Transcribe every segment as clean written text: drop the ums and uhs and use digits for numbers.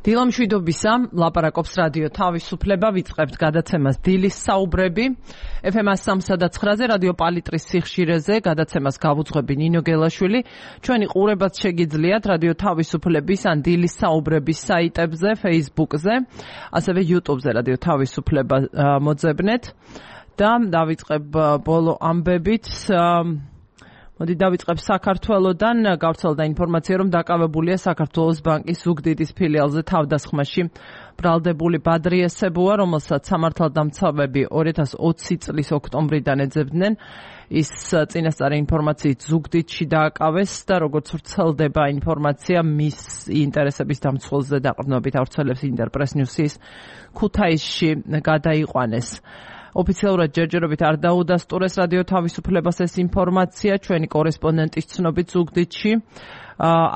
დილამშვიდობისა, ლაპარაკობს რადიო თავისუფლება, ვიწყებთ გადაცემას დილის საუბრები. FM 103-ზე რადიო პალიტრის სიხშირეზე გადაცემას გავუძღვები ნინო გელაშვილი. ჩვენი ყურებაც შეგიძლიათ რადიო თავისუფლების ან დილის საუბრების საიტებზე, Facebook-ზე, ასევე YouTube-ზე რადიო თავისუფლება მოძებნეთ და დავიწყებ ბოლო ამბებით. მოდი დავიწყებ საქართველოდან. გავრცელდა ინფორმაცია, რომ დაკავებულია საქართველოს ბანკის ზუგდიდის ფილიალზე თავდასხმაში ბრალდებული ბადრი ესებუა, რომელსაც სამართალდამცავები 2020 წლის ოქტომბრიდან ეძებდნენ. ის წინასწარი ინფორმაციით ზუგდიდში დააკავეს და როგორც ვრცელდება ინფორმაცია მის ინტერესების დამცველზე დაყრდნობით ავრცელებს ინტერპრეს ნიუსის ქუთაისში გადაიყვანეს. ოფიციალურად ჯერჯერობით არ დაუდასტურეს რადიო თავისუფლებას ეს ინფორმაცია, ჩვენი კორესპონდენტის ცნობით ზუგდიდში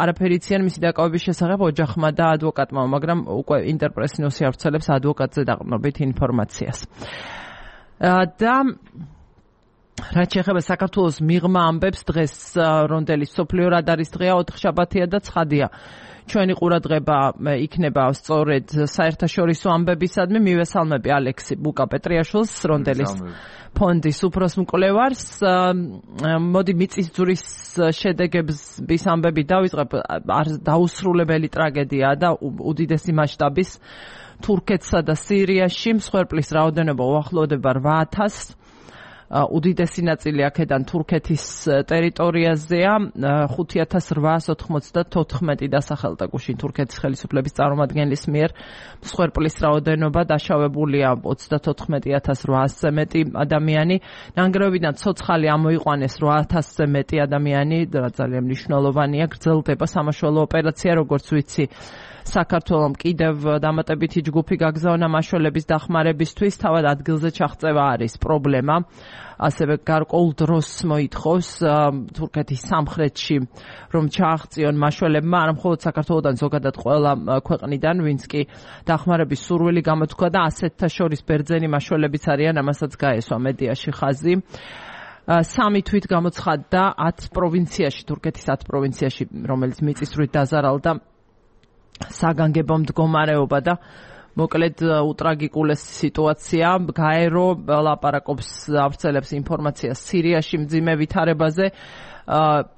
არაფერი იციან მისი დაკავების შესახებ ოჯახმა და ადვოკატმა, მაგრამ უკვე ინტერპრეს ნიუსი ავრცელებს ადვოკატზე დაყრდნობით ინფორმაციას. და რაც შეეხება საქართველოს მიღმა ამბებს, დღეს რონდელის მსოფლიო რადარის დღეა, ოთხშაბათია და ცხადია. ჩვენი ყურადღება იქნება სწორედ საერთაშორისო ამბებისადმი. მივესალმები ალექსი ბუკა-პეტრიაშვილს, რონდელის ფონდის უფროს მკვლევარს. მოდი მიწისძვრის შედეგების ამბები დავიწყებ. დაუსრულებელი ტრაგედიაა და უდიდესი მასშტაბის თურქეთსა და სირიაში. მსხვერპლის რაოდენობა უახლოვდება 8,000. უდიდესი ნაწილი აქედან თურქეთის ტერიტორიაზეა. 5,894 დასახელდა გუშინ თურქეთის ხელისუფლების წარმომადგენლის მიერ. მსხვერპლის რაოდენობა დაშავებულია 34,800-ზე მეტი ადამიანი. ნანგრევებიდან ცოცხალი ამოიყვანეს 800-ზე მეტი ადამიანი, რაც ძალიან მნიშვნელოვანია. გრძელდება სამაშველო ოპერაცია, როგორც ვიცი. საქართველომ კიდევ დამატებითი ჯგუფი გაგზავნა მაშველების დახმარებისთვის. თავად ადგილზე ჩაღწევა არის პრობლემა. ასევე გარკვეულ დროს მოითხოვს თურქეთის სამხრეთში, რომ ჩააღწიონ მაშველებმა, არა მხოლოდ საქართველოდან, ზოგადად ყველა ქვეყნიდან, ვინც კი დახმარების სურვილი გამოთქვა და ასეთთა შორის ბერძენი მაშველებიც არიან, ამასაც გაესვა მედიაში ხაზი. 3 თვით გამოცხადდა 10 პროვინციაში, თურქეთის 10 პროვინციაში, რომელიც მიწისძვრით დაზარალდა საგანგებო მდგომარეობა და მოკლედ უტრაგიკულესი სიტუაცია. გაერო ლაპარაკობს, ავრცელებს ინფორმაციას სირიაში მძიმე ვითარებაზე,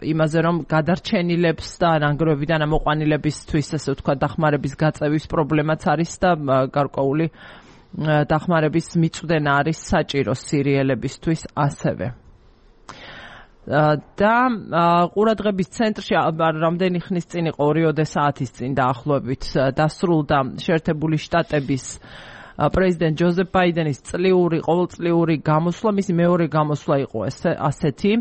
იმაზე რომ გადარჩენილებს და ნანგრევებიდან ამოყვანილებისთვის, ასე ვთქვათ, დახმარების გაწევის პრობლემაც არის და გარკვეული დახმარების მიწვდენა არის საჭირო სირიელებისთვის ასევე. და ყურადღების ცენტრში რამდენი ხნის წინ იყო 2 საათის წინ დაახლოებით დასრულდა შეერთებული შტატების პრეზიდენტ ჯოზეფ ბაიდენის ყოველწლიური გამოსვლა. მისი მეორე გამოსვლა იყო ასეთი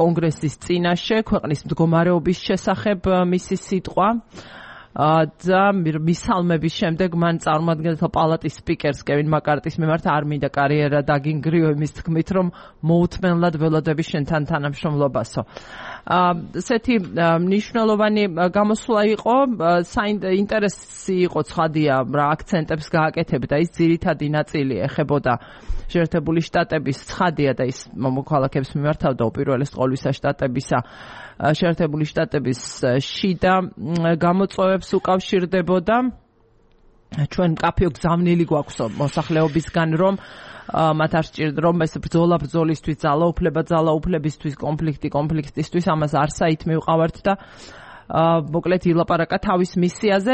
კონგრესის წინაშე ქვეყნის მდგომარეობის შესახებ მისი სიტყვა. და მისალმების შემდეგ მან წარმომადგენელთა პალატის სპიკერს კევინ მაკარტის მიმართ არ მინდა კარიერა დაგინგრიო იმის თქმით, რომ მოუთმენლად ველოდები შენთან თანამშრომლობასო. ესეთი მნიშვნელოვანი გამოსვლა იყო, ინტერესი იყო, ცხადია, რა აქცენტებს გააკეთებდა. ის ძირითადი ნაწილი ეხებოდა შეერთებული შტატების, ცხადია და ის მოქალაქეებს მიმართავდა უპირველეს ყოვლისა შტატებისა შეერთებული შტატების შიდა გამოწვევებს უკავშირდებოდა. ჩვენ მკაფიო გზავნილი გვაქვს მოსახლეობისგან, რომ მათ არ სჭირდება, რომ ეს ბრძოლა ბრძოლისთვის, ძალაუფლებისთვის, კონფლიქტისთვის, ამას არ საით მივყავართ და მოკლედ ილაპარაკა თავის მისიაზე.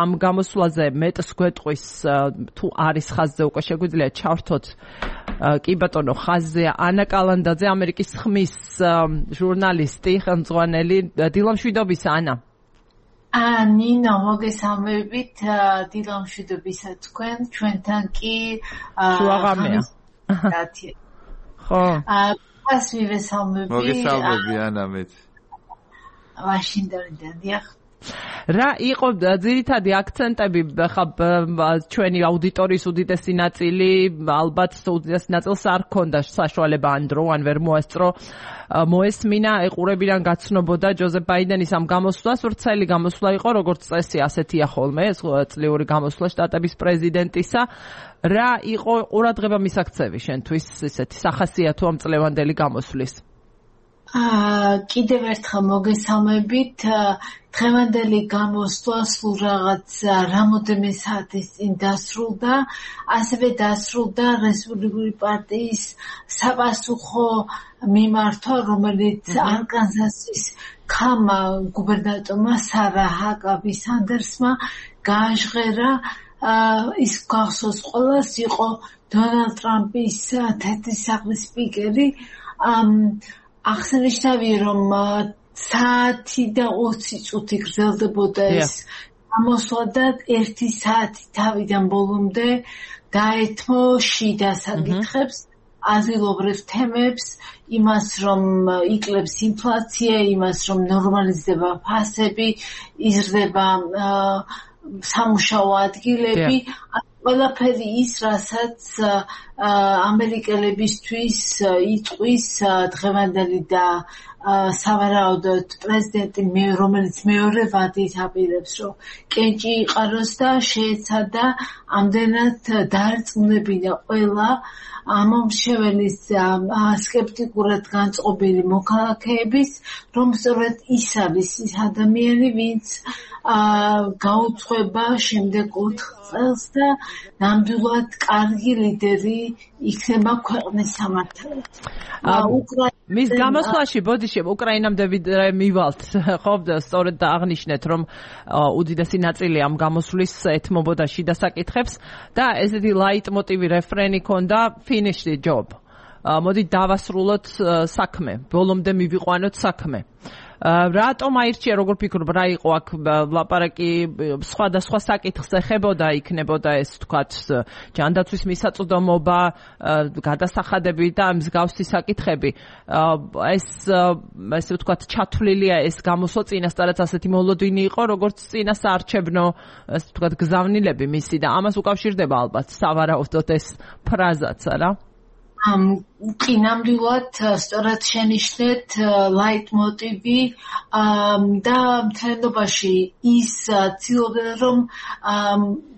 ამ გამოსვლაზე მეტს გვეტყვის, თუ არის ხაზზე უკვე შეგვიძლია ჩავრთოთ. კი ბატონო, ხაზზეა ანა კალანდაძე, ამერიკის ხმის ჟურნალისტი, ხელმძღვანელი. დილამშვიდობისა, ანა. ნინო, მოგესალმებით, დილამშვიდობისა თქვენ, ჩვენთან კი შუაღამეა. ხო. ას მივესალმები. მოგესალმები, ანა, მეც. ვაშინგტონიდან, დიახ. რა იყო ძირითადი აქცენტები ჩვენი აუდიტორიის უდიდესი ნაწილი, ალბათ უდიდესი ნაწილს არ ჰქონდა საშუალება ან დრო, ან ვერ მოასწრო მოესმინა, ეყურებიდან გაცნობოდა ჯოზეფ ბაიდენის ამ გამოსვლას. ვრცელი გამოსვლა იყო, როგორც წესი, ასეთია ხოლმე, ეს წლიური გამოსვლა შტატების პრეზიდენტისა. რა იყო ყურადღება მისაქცევი შენთვის, ესეთი სახასიათო ამ წლევანდელი გამოსვლის? კიდევ ერთხელ მოგესალმებით. დღევანდელი გამოსვლა სულ რაღაც რამოდენიმე საათის წინ დასრულდა. ასევე დასრულდა რესპუბლიკური პარტიის საპასუხო მიმართვა, რომელიც არკანზასის ქამა გუბერნატორმა სარა ჰაკაბი სანდერსმა გააჟღერა. ის გახსოვს ყველას, იყო დონალდ ტრამპის თეთრი სახლის სპიკერი. აღსანიშნავია, რომ საათი და 20 წუთი გრძელდებოდა ეს გამოსვლა და 1 საათი თავიდან ბოლომდე დაეთმო შიდა საკითხებს, ადგილობრივ თემებს, იმას, რომ იკლებს ინფლაცია, იმას, რომ ნორმალიზდება ფასები, იზრდება სამუშაო ადგილები, ყველაფერი ის, რასაც ამერიკელებისთვის იტყვის დღევანდელი და სავარაუდოდ პრეზიდენტი, რომელიც მეორე ვადით აპირებს, რომ კენჭი იყაროს და შეეცადა ამდენად დაერწმუნებინა ყველა ამომრჩეველის სკეპტიკურად განწყობილი მოქალაქეების, რომ სწორედ ის არის ის ადამიანი, ვინც გაუძღვება შემდეგ 4 წელს და ნამდვილად კარგი ლიდერი იქნება ქვეყნის სამართალად. მის გამოსვლაში ბოდიში უკრაინამდე მივალთ, ხო, სწორედ აღნიშნეთ, რომ უდიდესი ნაწილი ამ გამოსვლის ეთმობოდა შიდა საკითხებს და ესეთი ლაიტმოტივი რეფრენი ქონდა finish the job. მოდი დავასრულოთ საქმე, ბოლომდე მივიყვანოთ საქმე. რატომ აირჩია, როგორ ფიქრობ, რა იყო აქ ლაპარაკი სხვადასხვა საკითხს ეხებოდა, იქნებოდა ეს თქვათ ჯანდაცვის მისაწვდომობა, გადასახადები და მსგავსი საკითხები. ეს ესე ვთქვათ ჩათვლილია ეს გამოსვლა, წინასწარაც ასეთი მოლოდინი იყო, როგორც წინასაარჩევნო ესე ვთქვათ გზავნილები მისი და ამას უკავშირდება ალბათ სავარაუდოდ ეს ფრაზაც, არა? კი, ნამდვილად სწორად შენიშნეთ ლაიტმოტივი და მთლიანობაში ის ცდილობდა, რომ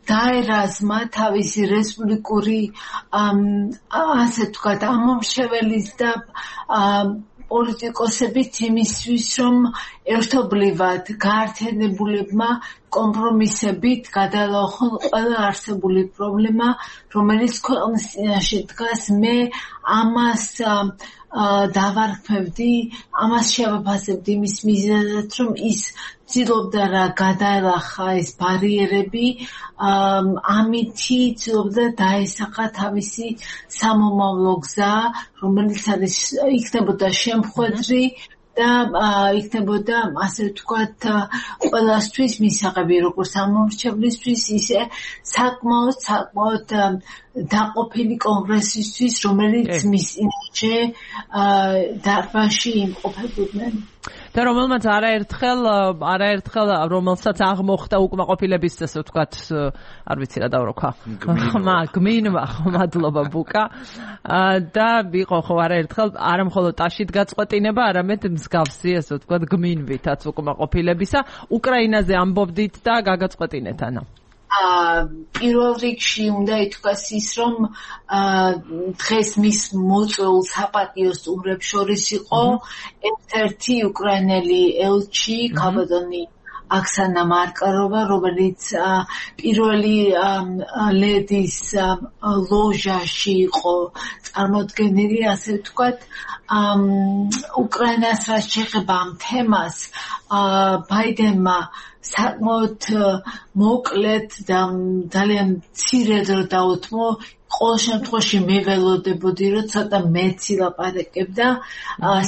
დაერაზმა თავისი რესპუბლიკური ასე ვთქვათ ამომრჩეველის და პოლიტიკოსების იმისთვის, რომ ერთობლივად გაერთიანებულებმა კომპრომისებით გადალახონ ყველა არსებული პრობლემა, რომელიც ქვეყნის წინაშე დგას. მე ამას დავარქმევდი, ამას შევაფასებდი იმის მიზეზად, რომ ის ცდილობდა რა გადაელახა ეს ბარიერები, ამითი ცდილობდა დაესახა თავისი სამომავლო გზა, რომელიც არის იქნებოდა შემხვედრი და იქნებოდა ასე ვთქვათ ყველასთვის მისაღები, როგორც ამომრჩევლისთვის, ისე საკმაოდ დაყოფილი კონგრესისთვის, რომელიც მის წინაშე დარბაზში იმყოფებოდნენ. და რომელმაც არაერთხელ რომელსაც აღმოხდა უკმაყოფილების ესე ვთქვათ, არ ვიცი რა დავროქა. გმინვა, მადლობა ბუკა. და იყო ხო არაერთხელ არა მხოლოდ ტაშით გაწყვეტინება, არამედ მსგავსი ესე ვთქვათ გმინვითაც უკმაყოფილებისა. უკრაინაზე ამბობდით და გაგაწყვეტინეთ ანა. პირველ რიგში უნდა ითქვას ის, რომ დღეს მის მოწვეულ საპატიო სტუმრებს შორის იყო ერთ-ერთი უკრაინელი ელჩი, ქალბატონი აქსანა მარკაროვა, რომელიც პირველი ლედის ლოჟაში იყო წარმოდგენილი, ასე ვთქვათ. უკრაინას რაც შეეხება ამ თემას, ბაიდენმა საკმაოდ მოკლედ და ძალიან მცირედ რო დაუთმო, ყოველ შემთხვევაში მე ველოდებოდი, რომ ცოტა მეც ილაპარაკებდა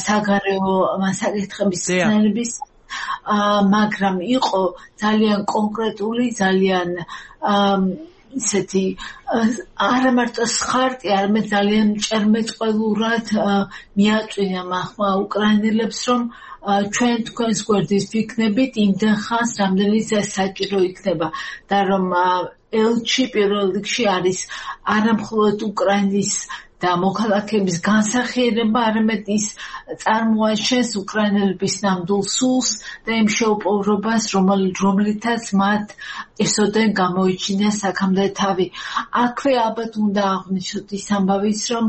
საგარეო საკითხების ხსენების, მაგრამ იყო ძალიან კონკრეტული, ძალიან ისეთი არა მარტო სხარტი, არამედ ძალიან ჭერმეწყველურად მიაწვინა მახმა უკრაინელებს, რომ ჩვენ თქვენს გვერდის ვიქნებით იმდენ ხანს, რამდენიც ეს საჭირო იქნება და რომ ელჩი პირველ რიგში არის არა მხოლოდ უკრაინის და მოქალაქეების განსახიერება, არამედ ის წარმოაჩენს უკრაინელების ნამდვილ სულს და იმ შეუპოვრობას, რომლითაც მათ ესოდენ გამოიჩინეს აქამდე თავი. აქვე ალბათ უნდა აღვნიშნოთ ის ამბავიც, რომ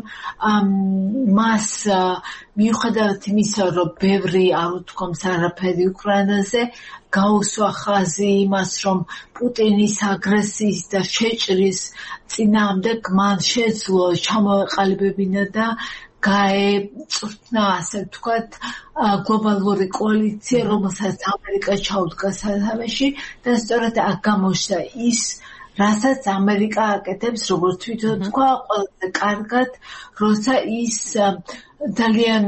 მას მიუხედავად იმისა, რომ ბევრი არ უთქვამს არაფერი უკრაინაზე, გაუსვა ხაზი იმას, რომ პუტინის აგრესიის და შეჭრის წინააღმდეგ მან შეძლო ჩამოეყალიბებინა და გაეწვრთნა, ასე ვთქვათ, გლობალური კოალიცია, რომელსაც ამერიკა ჩაუდგა სათავეში და სწორედ აქ გამოჩნდა ის, რასაც ამერიკა აკეთებს, როგორც თვითონ თქვა, ყველაზე კარგად, როცა ის ძალიან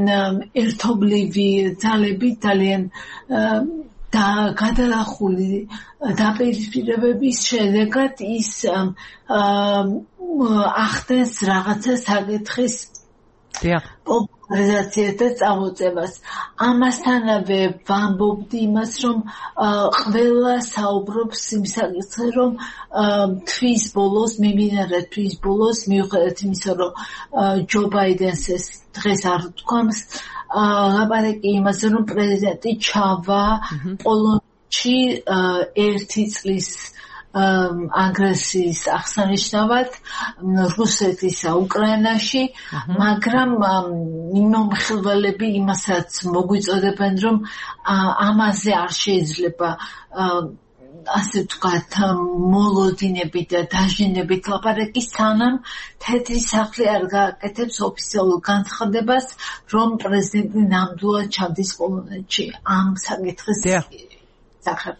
ერთობლივი ძალები, ძალიან და გადალახული დაპირისპირებების შედეგად ის ახდენს რაღაცა საკითხის პოპულარიზაციას და წამოწევას. ამასთანავე ვამბობდი იმას, რომ ყველა საუბრობს იმ საკითხზე, რომ თვის ბოლოს, მიმდინარე თვის ბოლოს, მიუხედავად იმისა, რომ ჯო ბაიდენს ეს დღეს არ თქვამს, ლაპარაკი იმაზე, რომ პრეზიდენტი ჩავა პოლონეთში 1 წლის აგრესიის აღსანიშნავად რუსეთისა უკრაინაში, მაგრამ მიმომხილველები იმასაც მოგვიწოდებენ, რომ ამაზე არ შეიძლება ასე ვთქვათ, მოლოდინებით და დაჟინებით ლაპარაკი, სანამ თეთრი სახლი არ გააკეთებს ოფიციალურ განცხადებას, რომ პრეზიდენტი ნამდვილად ჩადის პოლონეთში ამ საკითხის სახებ.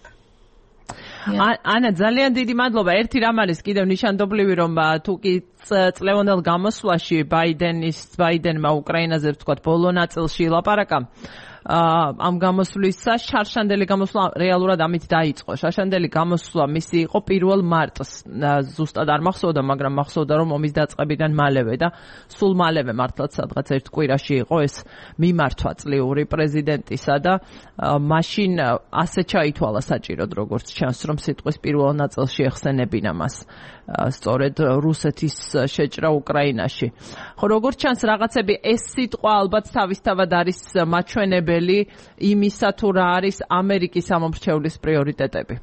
ანა, ძალიან დიდი მადლობა. ერთი რამ არის კიდევ ნიშანდობლივი, რომ თუ კი წლევანდელ გამოსვლაში ბაიდენმა უკრაინაზე ვთქვათ ბოლო ნაწილში ლაპარაკა, ამ გამოსვლისა შარშანდელი გამოსვლა რეალურად ამით დაიწყო. შარშანდელი გამოსვლა მისი იყო 1 მარტს. ზუსტად არ მახსოვდა, მაგრამ მახსოვდა, რომ ომის დაწყებიდან მალევე და სულ მალევე მართლაც სადღაც ერთ კვირაში იყო ეს მიმართვა წლიური პრეზიდენტისა და მაშინ ასე ჩაითვალა საჭიროდ, როგორც ჩანს, რომ სიტყვის პირველ ნაწილში ეხსენებინა მას. სწორედ რუსეთის შეჭრა უკრაინაში. ხო, როგორც ჩანს, რაღაცები ეს სიტყვა ალბათ თავისთავად არის მაჩვენებელი იმისა, თუ რა არის ამერიკის ამომრჩევლის პრიორიტეტები.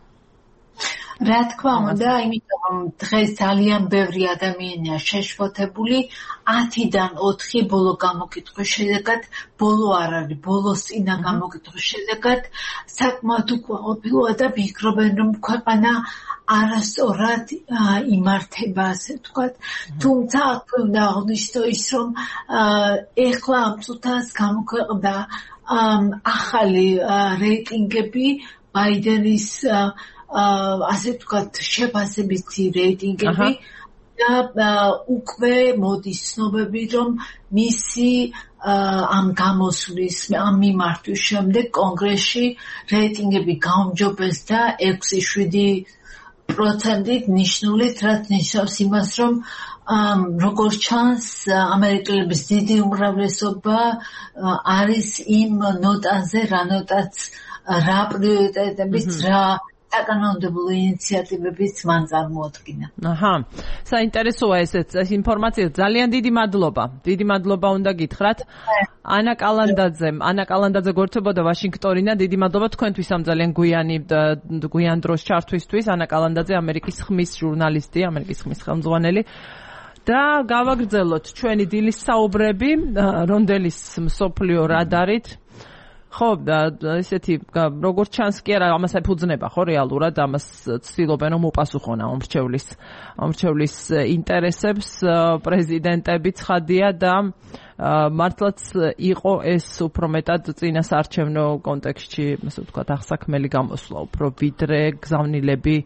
რა თქმა უნდა, იმიტომ რომ დღეს ძალიან ბევრი ადამიანია შეშფოთებული, 10-დან 4 ბოლო გამოკითხვის შედეგად, ბოლო არ არის, ბოლოს წინა გამოკითხვის შედეგად საკმაოდ უკმაყოფილოა და ფიქრობენ, რომ ქვეყანა არასწორად იმართება, ასე ვთქვათ. თუმცა აქვე უნდა აღნიშნო ის, რომ ეხლა ამ წუთას გამოქვეყნდა ახალი რეიტინგები ბაიდენის ასე ვთქვათ, შეფასებითი რეიტინგები და უკვე მოდის ცნობები, რომ მისი ამ გამოსვლის, ამ მიმართვის შემდეგ კონგრესში რეიტინგები გაუმჯობეს და 6.7%-ით ნიშნულით, რაც ნიშნავს იმას, რომ როგორც ჩანს, ამერიკელების დიდი უმრავლესობა არის იმ ნოტაზე, რა ნოტაც, რა პრიორიტეტებიც, რა საკანონმდებლო ინიციატივებიც მან წარმოადგინა. საინტერესოა ეს ინფორმაცია. ძალიან დიდი მადლობა. დიდი მადლობა უნდა გითხრათ. ანა კალანდაძე გვერდებოდა ვაშინგტონიდან. დიდი მადლობა თქვენთვის ამ ძალიან გვიან დროს ჩართვისთვის. ანა კალანდაძე ამერიკის ხმის ჟურნალისტი, ამერიკის ხმის ხელმძღვანელი. და გავაგრძელოთ ჩვენი დილის საუბრები რონდელის მსოფლიო რადარით. ხო, ესეთი როგორც ჩანს კი არა, ამას ეფუძნება ხო რეალურად, ამას ცდილობენ რომ უპასუხონ ამრჩევლის ინტერესებს პრეზიდენტები ცხადია და მართლაც იყო ეს უფრო მეტად წინასაარჩევნო კონტექსტში, ასე ვთქვათ, აღსაქმელი გამოსვლა, უფრო ვიდრე გზავნილები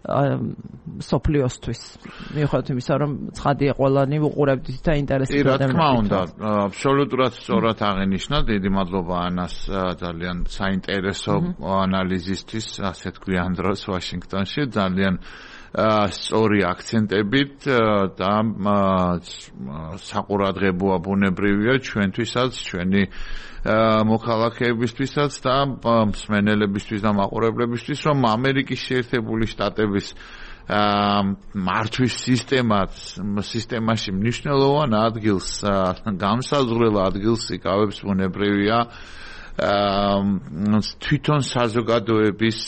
სოფლიოსთვის. მიუხედავად იმისა, რომ ცხადია ყველანი უყურებდით და ინტერესებდა. რა თქმა უნდა, აბსოლუტურად სწორად აღინიშნა. დიდი მადლობა ანას ძალიან საინტერესო ანალიზისთვის, ასეთ გვიან დროს ვაშინგტონში. ძალიან სწორი აქცენტებით და საყურადღებოა ბუნებრივია ჩვენთვისაც, ჩვენი მოქალაქეებისთვისაც და მსმენელებისთვის და მაყურებლებისთვის, რომ ამერიკის შეერთებული შტატების მართვის სისტემაში მნიშვნელოვან ადგილს, გამსაზღვრელ ადგილს იკავებს ბუნებრივია თვითონ საზოგადოების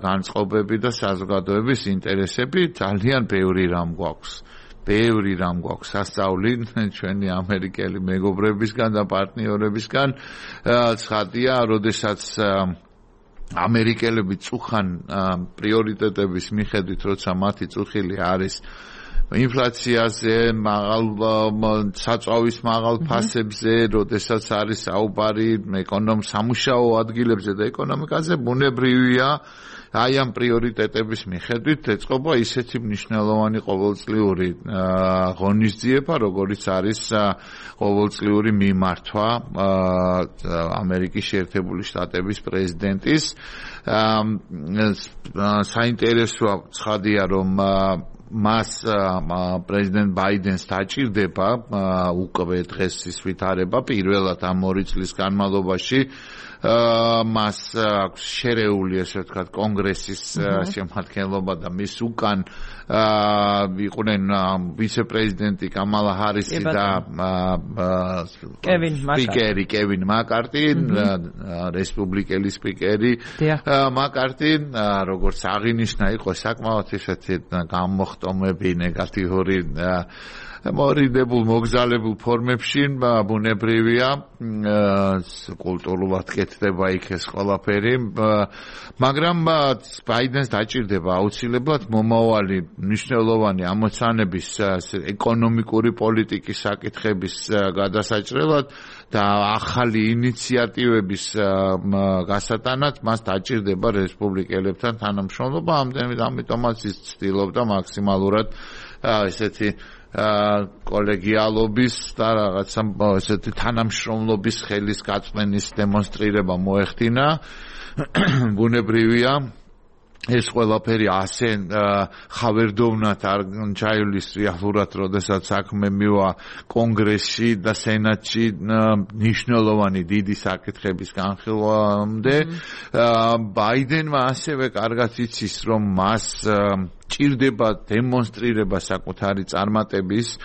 განწყობები და საზოგადოების ინტერესები. ძალიან ბევრი რამ გვაქვს ბევრი რამ გვაქვს სასწავლი ჩვენი ამერიკელი მეგობრებისგან და პარტნიორებისგან. ცხადია, როდესაც ამერიკელები წუხან პრიორიტეტების მიხედვით, როცა მათი წუხილი არის ინფლაციაზე, საწვავის მაღალ ფასებზე, როდესაც არის საუბარი სამუშაო ადგილებზე და ეკონომიკაზე, ბუნებრივია აი ამ პრიორიტეტების მიხედვით ეწყობა ისეთი მნიშვნელოვანი ყოველწლიური ღონისძიება, როგორიც არის ყოველწლიური მიმართვა ამერიკის შეერთებული შტატების პრეზიდენტის. საინტერესოა ცხადია, რომ მას პრეზიდენტ ბაიდენს დაჭირდება უკვე დღეს ის ვითარება პირველად ამ 2 წლის განმავლობაში მას აქვს შერეული ესე ვთქვათ კონგრესის შემადგენლობა და მის უკან იყვნენ ვიცე-პრეზიდენტი კამალა ჰარისი და კევინ მაკარტი რესპუბლიკელი სპიკერი მაკარტი როგორც აღინიშნა იყო საკმაოდ ისეთი გამოხტომები ნეგატიური მორიდებულ მოგზალებულ ფორმებში ბუნებრივია კულტურულად კეთდება იქ ეს ყველაფერი მაგრამ ბაიდენს დაჭირდება აუცილებლად მომავალი მნიშვნელოვანი ამოცანების ეკონომიკური პოლიტიკის საკითხების გადასაჭრელად და ახალი ინიციატივების გასატანად მას დაჭირდება რესპუბლიკელებთან თანამშრომლობა ამიტომაც ის ცდილობდა მაქსიმალურად ესეთი კოლეგიალობის და რაღაცა ესეთი თანამშრომლობის ხელის გაწმენის დემონსტრირება მოეხდინა. ბუნებრივია ეს ყველაფერი ასე ხავერდოვნად არ ჩაივლის რეალურად, როდესაც საქმე მივა კონგრესში და სენატში მნიშვნელოვანი დიდი საკითხების განხილვამდე. ბაიდენმა ასევე კარგად იცის, რომ მას ჭირდება დემონსტრირება საკუთარი წარმატების.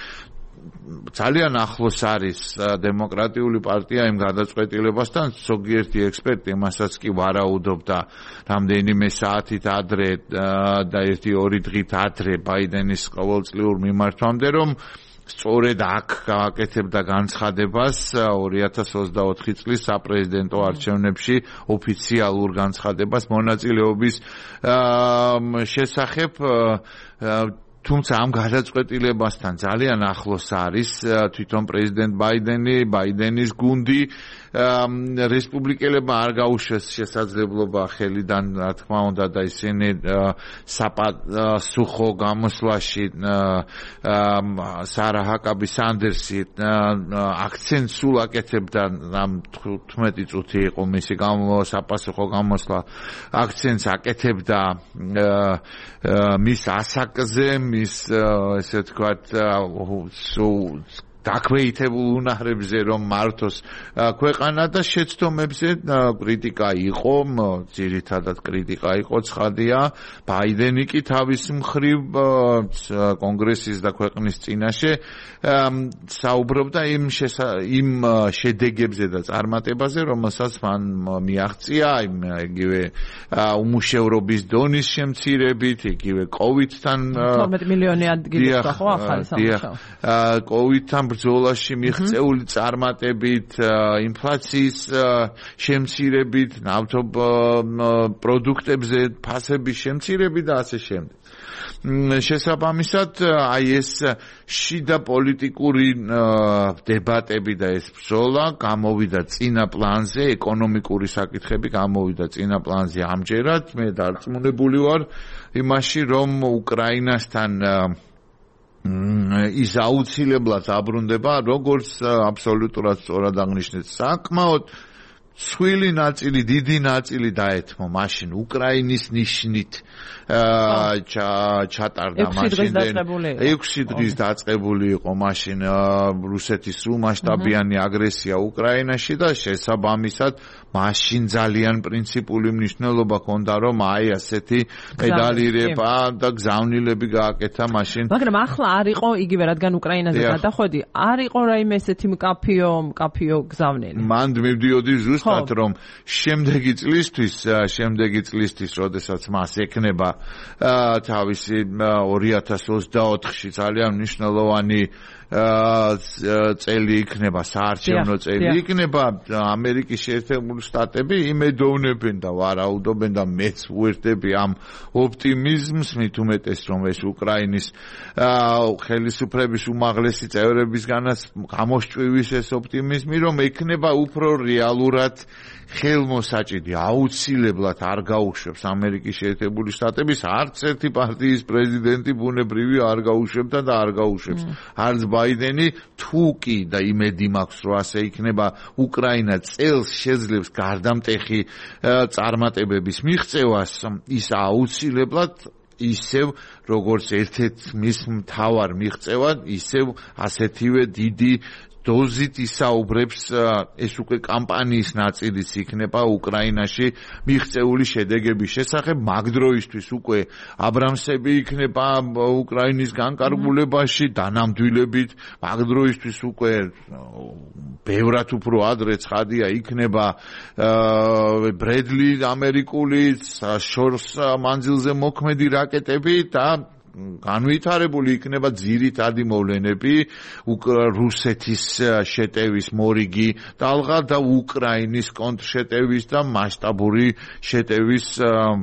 ძალიან ახლოს არის დემოკრატიული პარტია იმ გადაწყვეტილებასთან, ზოგიერთი ექსპერტი მასაც კი ვარაუდობდა რამდენიმე საათით ადრე და 1-2 დღით ადრე ბაიდენის ყოველწლიურ მიმართვამდე, რომ სწორედ აქ გააკეთებდა განცხადებას 2024 წლის საპრეზიდენტო არჩევნებში ოფიციალურ განცხადებას მონაწილეობის შესახებ. თუმცა ამ გადაწყვეტილებასთან ძალიან ახლოს არის თვითონ პრეზიდენტ ბაიდენის გუნდი. რესპუბლიკელებმა არ გაუშვეს შესაძლებლობა ხელიდან, რა თქმა უნდა, და ისინი სუხო გამოსვლაში სარა ჰაკაბი სანდერსი აქცენტს სულ აკეთებდა, ამ 15 წუთი იყო მისი საპასუხო გამოსვლა, აქცენტს აკეთებდა მის ასაკზე, მის ესე ვთქვათ დაქვეითებულ უნარებზე, რომ მართოს ქვეყანა და შეცდომებზე კრიტიკა იყო, ძირითადად კრიტიკა იყო, ცხადია. ბაიდენი კი თავის მხრივ კონგრესის და ქვეყნის წინაშე საუბრობდა იმ შედეგებზე და წარმატებაზე, რომელსაც მან მიაღწია, იგივე უმუშევრობის დონის შემცირებით, იგივე COVID-თან 12 მილიონი ადგილი ხო ახალი სამუშაო. COVID-თან ბრძოლაში მიღწეული წარმატებით, ინფლაციის შემცირებით, ნავთობ პროდუქტებზე ფასების შემცირებით და ასე შემდეგ. შესაბამისად, აი ეს შიდა პოლიტიკური დებატები და ეს ბრძოლა გამოვიდა წინა პლანზე, ეკონომიკური საკითხები გამოვიდა წინა პლანზე ამჯერად. მე დარწმუნებული ვარ იმაში, რომ უკრაინასთან ის აუცილებლად აბრუნდება, როგორც აბსოლუტურად სწორად აღნიშნეთ, საკმაოდ ცვილი ნაწილი, დიდი ნაწილი დაეთმო მაშინ უკრაინის ნიშნით ჩატარდა მაშინ 6 დღის დაწყებული იყო მაშინ რუსეთის სრულმასშტაბიანი აგრესია უკრაინაში და შესაბამისად მაშინ ძალიან პრინციპული მნიშვნელობა ჰქონდა, რომ აი ასეთი პედალირება და გზავნილები გააკეთა მაშინ. მაგრამ ახლა არ იყო იგივე, რადგან უკრაინაზე გადახვედი, არ იყო რაიმე ესეთი მკაფიო გზავნილი. მანდ მივდიოდი ზუსტად ზუსტად რომ შემდეგი წლისთვის, როდესაც მას ეკნება თავისი 2024-ში ძალიან მნიშვნელოვანი წელი იქნება, საარჩევნო წელი იქნება, ამერიკის შეერთებული შტატები იმედოვნებენ და ვარაუდობენ და მეც ვუერთდები ამ ოპტიმიზმს, მით უმეტეს რომ ეს უკრაინის ხელისუფლების უმაღლესი წევრებისგანაც გამოსჭვივის ეს ოპტიმიზმი, რომ ექნება უფრო რეალურად ხელმოსაჭიდი, აუცილებლად არ გაუშვებს ამერიკის შეერთებული შტატების არც ერთი პარტიის პრეზიდენტი ბუნებრივი არ გაუშვებდა და არ გაუშვებს. არც ბაიდენი, თუ კი და იმედი მაქვს, რომ ასე იქნება, უკრაინა წელს შეძლებს გარდამტეხი წარმატებების მიღწევას, ის აუცილებლად ისევ როგორც ერთ-ერთ მის მთავარ მიღწევად, ისევ ასეთივე დიდი დოზით ისაუბრებს ეს უკვე კამპანიის ნაწილიც იქნება უკრაინაში მიღწეული შედეგების შესახებ. მაგ დროისთვის უკვე აბრამსები იქნება უკრაინის განკარგულებაში დანამდვილებით. მაგ დროისთვის უკვე ბევრად უფრო ადრე ცხადია იქნება ბრედლი ამერიკული შორს მანძილზე მოქმედი რაკეტები და განვითარებული იქნება ძირითადი მოვლენები რუსეთის შეტევის მორიგი ტალღა და უკრაინის კონტრშეტევის და მასშტაბური შეტევის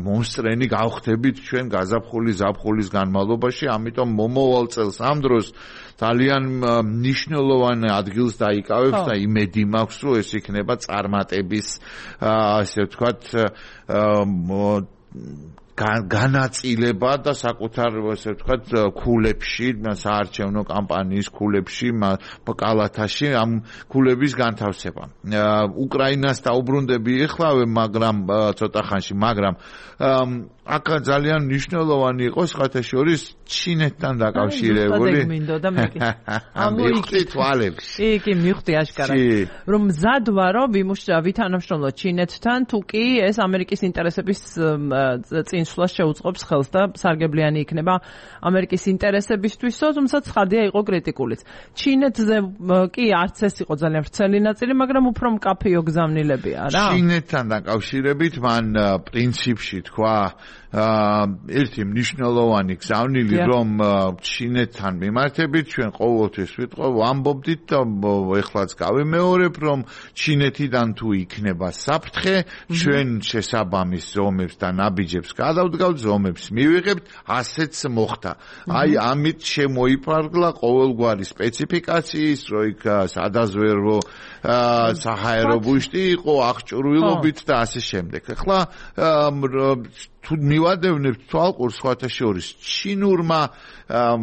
მომსწრენი გავხდებით ჩვენ გაზაფხულის განმავლობაში. ამიტომ მომავალ წელს ამ დროს ძალიან მნიშვნელოვანი ადგილს დაიკავებს და იმედი მაქვს, რომ ეს იქნება წარმატების ასე ვთქვათ განაწილება და საკუთარ ასე ვთქვათ ქულებში, საარჩევნო კამპანიის ქულებში, კალათაში ამ ქულების განთავსება. უკრაინას დაუბრუნდები ეხლავე, მაგრამ ცოტა ხანში, მაგრამ აქ ძალიან მნიშვნელოვანი იყო სხვათაშორის ჩინეთთან დაკავშირებული. იქ მივხვდი აშკარად, რომ მზად ვარო ვითანამშრომლო ჩინეთთან, თუ კი ეს ამერიკის ინტერესების წინსვლას შეუწყობს ხელს და სარგებლიანი იქნება ამერიკის ინტერესებისთვისო, თუმცა ცხადია იყო კრიტიკულიც. ჩინეთზე კი არც ეს იყო ძალიან ვრცელი ნაწილი, მაგრამ უფრო მკაფიო გზავნილებია რა. ჩინეთთან დაკავშირებით მან პრინციპში თქვა ერთი მნიშვნელოვანი გზავნილი, რომ ჩინეთთან მიმართებით ჩვენ ყოველთვის ვამბობდით და ეხლაც გავიმეორებ, რომ ჩინეთიდან თუ იქნება საფრთხე, ჩვენ შესაბამის ზომებს და ნაბიჯებს გადავდგავთ, ზომებს მივიღებთ, ასეც მოხდა. აი ამით შემოიფარგლა ყოველგვარი სპეციფიკაციის, რო იქ სადაზვერვო საჰაერო ბუშტი იყო, აღჭურვილობით და ასე შემდეგ. ახლა თუ მივადევნებთ თვალყურს სხვათაშორის ჩინურმა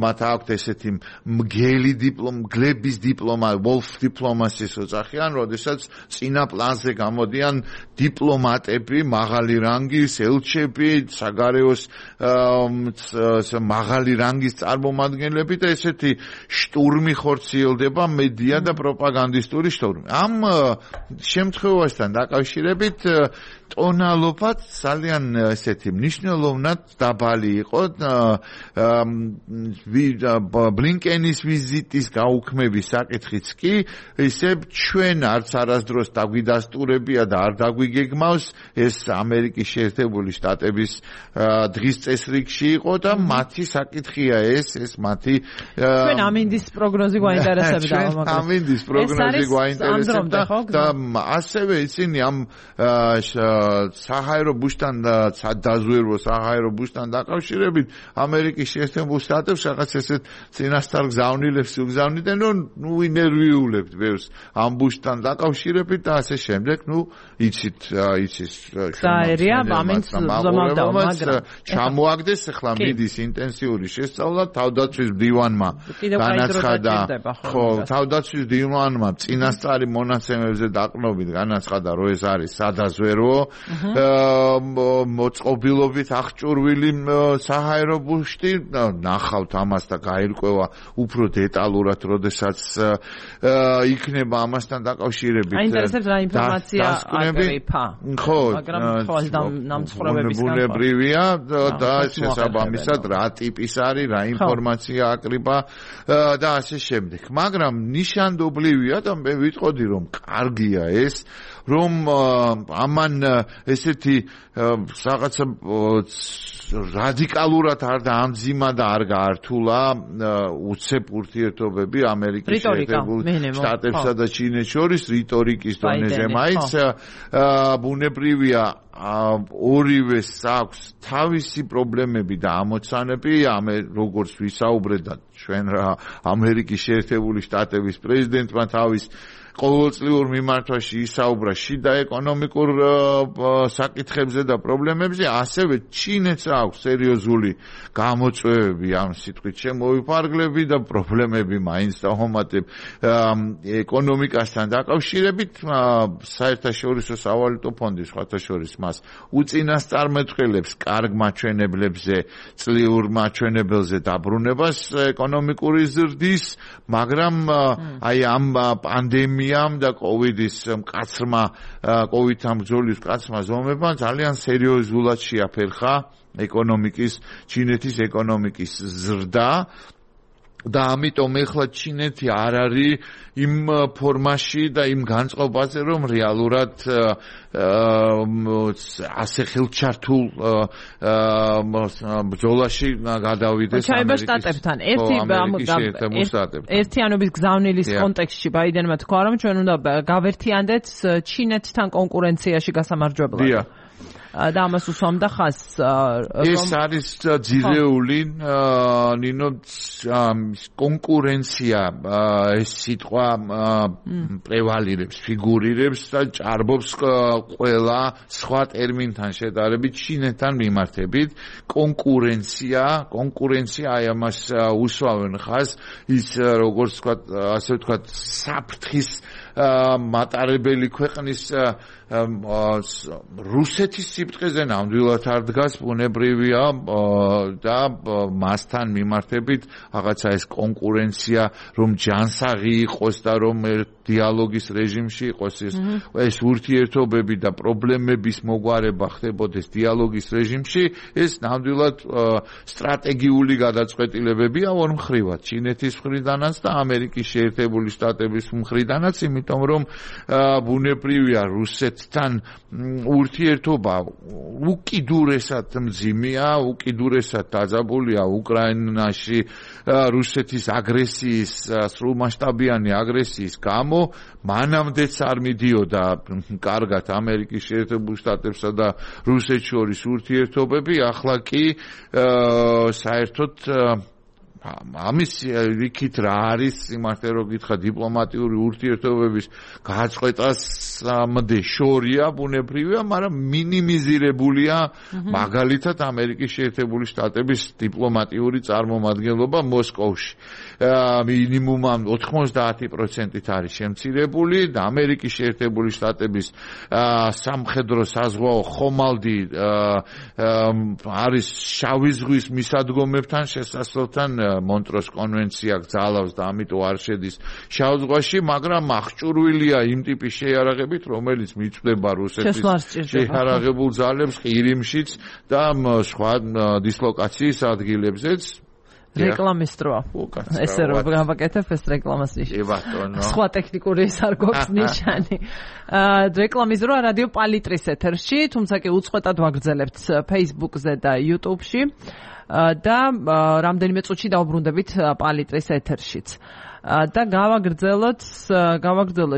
მათ აქვთ ესეთი მგლების დიპლომა, wolf diplomacy-ს ოძახიან, როდესაც წინა პლანზე გამოდიან დიპლომატები, მაღალი რანგის ელჩები, საგარეოს მაღალი რანგის წარმომადგენლები და ესეთი შტურმი ხორციელდება, მედია და პროპაგანდისტური შტურმი. ამ შემთხვევასთან დაკავშირებით ტონალობაც ძალიან ესეთი მნიშვნელოვნად დაბალი იყო. ბლინკენის ვიზიტის გაუქმების საკითხიც კი ისე ჩვენ არც არასდროს დაგვიდასტურებია და არ დაგვიგეგმავს, ეს ამერიკის შეერთებული შტატების დღის წესრიგში იყო და მათი საკითხია ეს მათი ჩვენ ამინდის პროგნოზი გვაინტერესებდა, მაგრამ ამინდის პროგნოზი გვაინტერესებდა და ასევე ისინი ამ საჰაერო ბუშტან და დაზვერვო საჰაერო ბუშტან დაკავშირებით ამერიკის შეერთებულ შტატებს რაღაც ესეთ წინასწარ გზავნილებს უგზავნიდნენ, რომ ინერვიულებთ ბევრს ამ ბუშტან დაკავშირებით და ასე შემდეგ. იცით საერია ამინს ზომავდა, მაგრამ ჩამოაგდეს ახლა მიდის ინტენსიური შესწავლა. თავდაცვის მდივანმა განაცხადა, ხო, თავდაცვის მდივანმა წინასწარი მონაცემებზე დაყრდნობით განაცხადა, რომ ეს არის სადაზვერვო მოწყობილ წერილობით აღჭურვილი საჰაერო ბუშტი ნახავთ ამას და გაირკვევა უფრო დეტალურად, როდესაც იქნება ამასთან დაკავშირებით აინტერესებს რა ინფორმაცია აკრიფა. ხო, მაგრამ თვალს დამცხრობებისგან ბუნებრივია და შესაბამისად რა ტიპის არის, რა ინფორმაცია აკრიფა და ასე შემდეგ. მაგრამ ნიშანდობლივია და მე ვიტყოდი რომ კარგია ეს რომ ამან ესეთი რაღაცა რადიკალურად არ დაამძიმა და არ გაართულა უცებ ურთიერთობები ამერიკის შეერთებულ შტატებსა და ჩინეთს შორის რიტორიკის დონეზე მაინც ბუნებრივია ორივეს აქვს თავისი პრობლემები და ამოცანები როგორც ვისაუბრეთ და ჩვენ რა ამერიკის შეერთებული შტატების პრეზიდენტმა თავის ყოველწლიურ მიმართვაში ისაუბრა შიდა ეკონომიკურ საკითხებზე და პრობლემებზე, ასევე ჩინეთს აქვს სერიოზული გამოწვევები ამ სიტყვით შემოვიფარგლები და პრობლემები მაინც დაუმატებ ეკონომიკასთან დაკავშირებით. საერთაშორისო სავალუტო ფონდი სხვათა შორის მას უწინასწარმეტყველებს კარგ მაჩვენებლებზე, წლიურ მაჩვენებელზე დაბრუნებას ეკონომიკური ზრდის, მაგრამ აი ამ პანდემიამ და კოვიდის მკაცრმა კოვიდთან ბრძოლის მკაცრმა ზომებმა ძალიან სერიოზულად შეაფერხა ჩინეთის ეკონომიკის ზრდა და ამიტომ ეხლა ჩინეთი არ არის იმ ფორმაში და იმ განწყობაზე რომ რეალურად ასე ხელჩართულ ბრძოლაში გადავიდეს ამერიკის შტატებთან. ერთიანობის გზავნილის კონტექსტში ბაიდენმა თქვა რომ ჩვენ უნდა გავერთიანდეთ ჩინეთთან კონკურენციაში გასამარჯვებლად. და ამას უსვამდა ხაზს ეს არის ძირეული ნინო კონკურენცია ეს სიტყვა პრევალირებს ფიგურირებს და ჭარბობს ყველა სხვა ტერმინთან შედარებით ჩინეთთან მიმართებით კონკურენცია აი ამას უსვამენ ხაზს ის როგორც თქვა ასე ვთქვა საფრთხის მატარებელი ქვეყნის რუსეთის სიფრთხეზე ნამდვილად არ დგას ბუნებრივია და მასთან მიმართებით რაღაცა ეს კონკურენცია რომ ჯანსაღი იყოს და რომ დიალოგის რეჟიმში იყოს ეს ურთიერთობები და პრობლემების მოგვარება ხდებოდეს დიალოგის რეჟიმში ეს ნამდვილად სტრატეგიული გადაწყვეტილებებია ორ მხრივად ჩინეთის მხრიდანაც და ამერიკის შეერთებული შტატების მხრიდანაც იმიტომ რომ ბუნებრივია რუსეთთან ურთიერთობა უკიდურესად მძიმეა, უკიდურესად დაძაბულია უკრაინაში რუსეთის აგრესიის, სრულმასშტაბიანი აგრესიის გამო, მანამდეც არ მიდიოდა კარგად ამერიკის შეერთებულ შტატებსა და რუსეთს შორის ურთიერთობები, ახლა კი საერთოდ ამის იქით რა არის იმართე რომ გითხრა დიპლომატიური ურთიერთობების გაწყვეტასამდე შორია ბუნებრივია, მაგრამ მინიმიზირებულია მაგალითად ამერიკის შეერთებული შტატების დიპლომატიური წარმომადგენლობა მოსკოვში. მინიმუმ 90% არის შემცირებული და ამერიკის შეერთებული შტატების სამხედრო საზღვაო ხომალდი არის შავი ზღვის მისადგომებთან შესასვლელთან მონტროს კონვენცია გძალავს და ამიტომ არ შედის შავ ზღვაში, მაგრამ აღჭურვილია იმ ტიპის შეიარაღებით, რომელიც მიწვდება რუსეთის შეიარაღებულ ძალებს ყირიმშიც და სხვა დისლოკაციის ადგილებზეც. რეკლამის დროა. ესე რომ გავაკეთებ ეს რეკლამას ნიშნავს. სხვა ტექნიკური ის არ გვაქვს ნიშანი. რეკლამის დროა რადიო პალიტრის ეთერში, თუმცა კი უწყვეტად ვაგრძელებთ Facebook-ზე და YouTube-ში. და რამდენიმე წუთში დავბრუნდებით პალიტრის ეთერშიც. და გავაგრძელოთ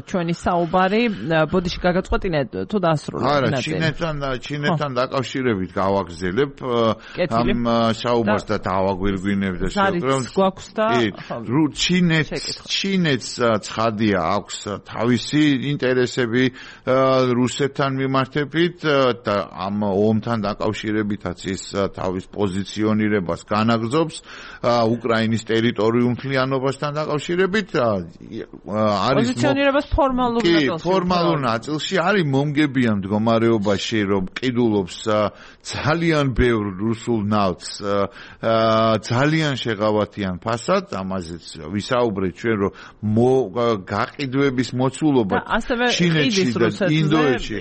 ჩვენი საუბარი. ბოდიში გაგაწყვეტინეთ თუ დაასრულოთ? არა, ჩინეთთან დაკავშირებით გავაგრძელებ ამ საუბარს და დავაგვირგვინებ და შევკრებთ. გვაქვს და ჩინეთს ცხადია აქვს თავისი ინტერესები რუსეთთან მიმართებით და ამ ომთან დაკავშირებითაც ის თავის პოზიციონირებას განაგრძობს უკრაინის ტერიტორიულ მთლიანობასთან დაკავშირებით დაკავშირებით არის პოზიციონირებას ფორმალურ ნაწილში არის მომგებიან მდგომარეობაში, რომ ყიდულობს ძალიან ბევრ რუსულ ნავთს, ძალიან შეღავათიან ფასად, ამაზეც ვისაუბრეთ ჩვენ, რომ გაყიდვების მოცულობა ჩინეთში და ინდოეთში,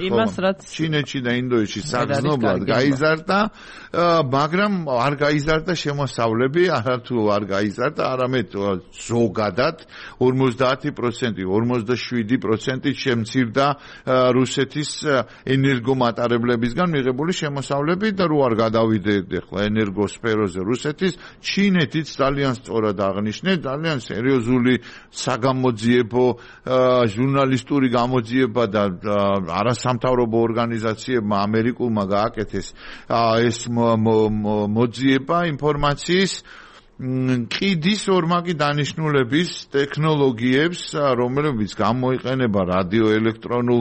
ჩინეთში და ინდოეთში საგრძნობლად გაიზარდა, მაგრამ არ გაიზარდა შემოსავლები, არათუ არ გაიზარდა, არამედ ზოგადად 50%, 57% შემცირდა რუსეთის ენერგომატარებლებისგან მიღებული შემოსავლები და რო არ გადავიდეთ ახლა ენერგოსფეროზე რუსეთის, ჩინეთიც ძალიან სწორად აღნიშნეთ, ძალიან სერიოზული საგამოძიებო ჟურნალისტური გამოძიება და არასამთავრობო ორგანიზაციებმა ამერიკულმა გააკეთეს ეს მოძიება ინფორმაციის ყიდის ორმაგი დანიშნულების ტექნოლოგიებს, რომლებიც გამოიყენება რადიოელექტრონულ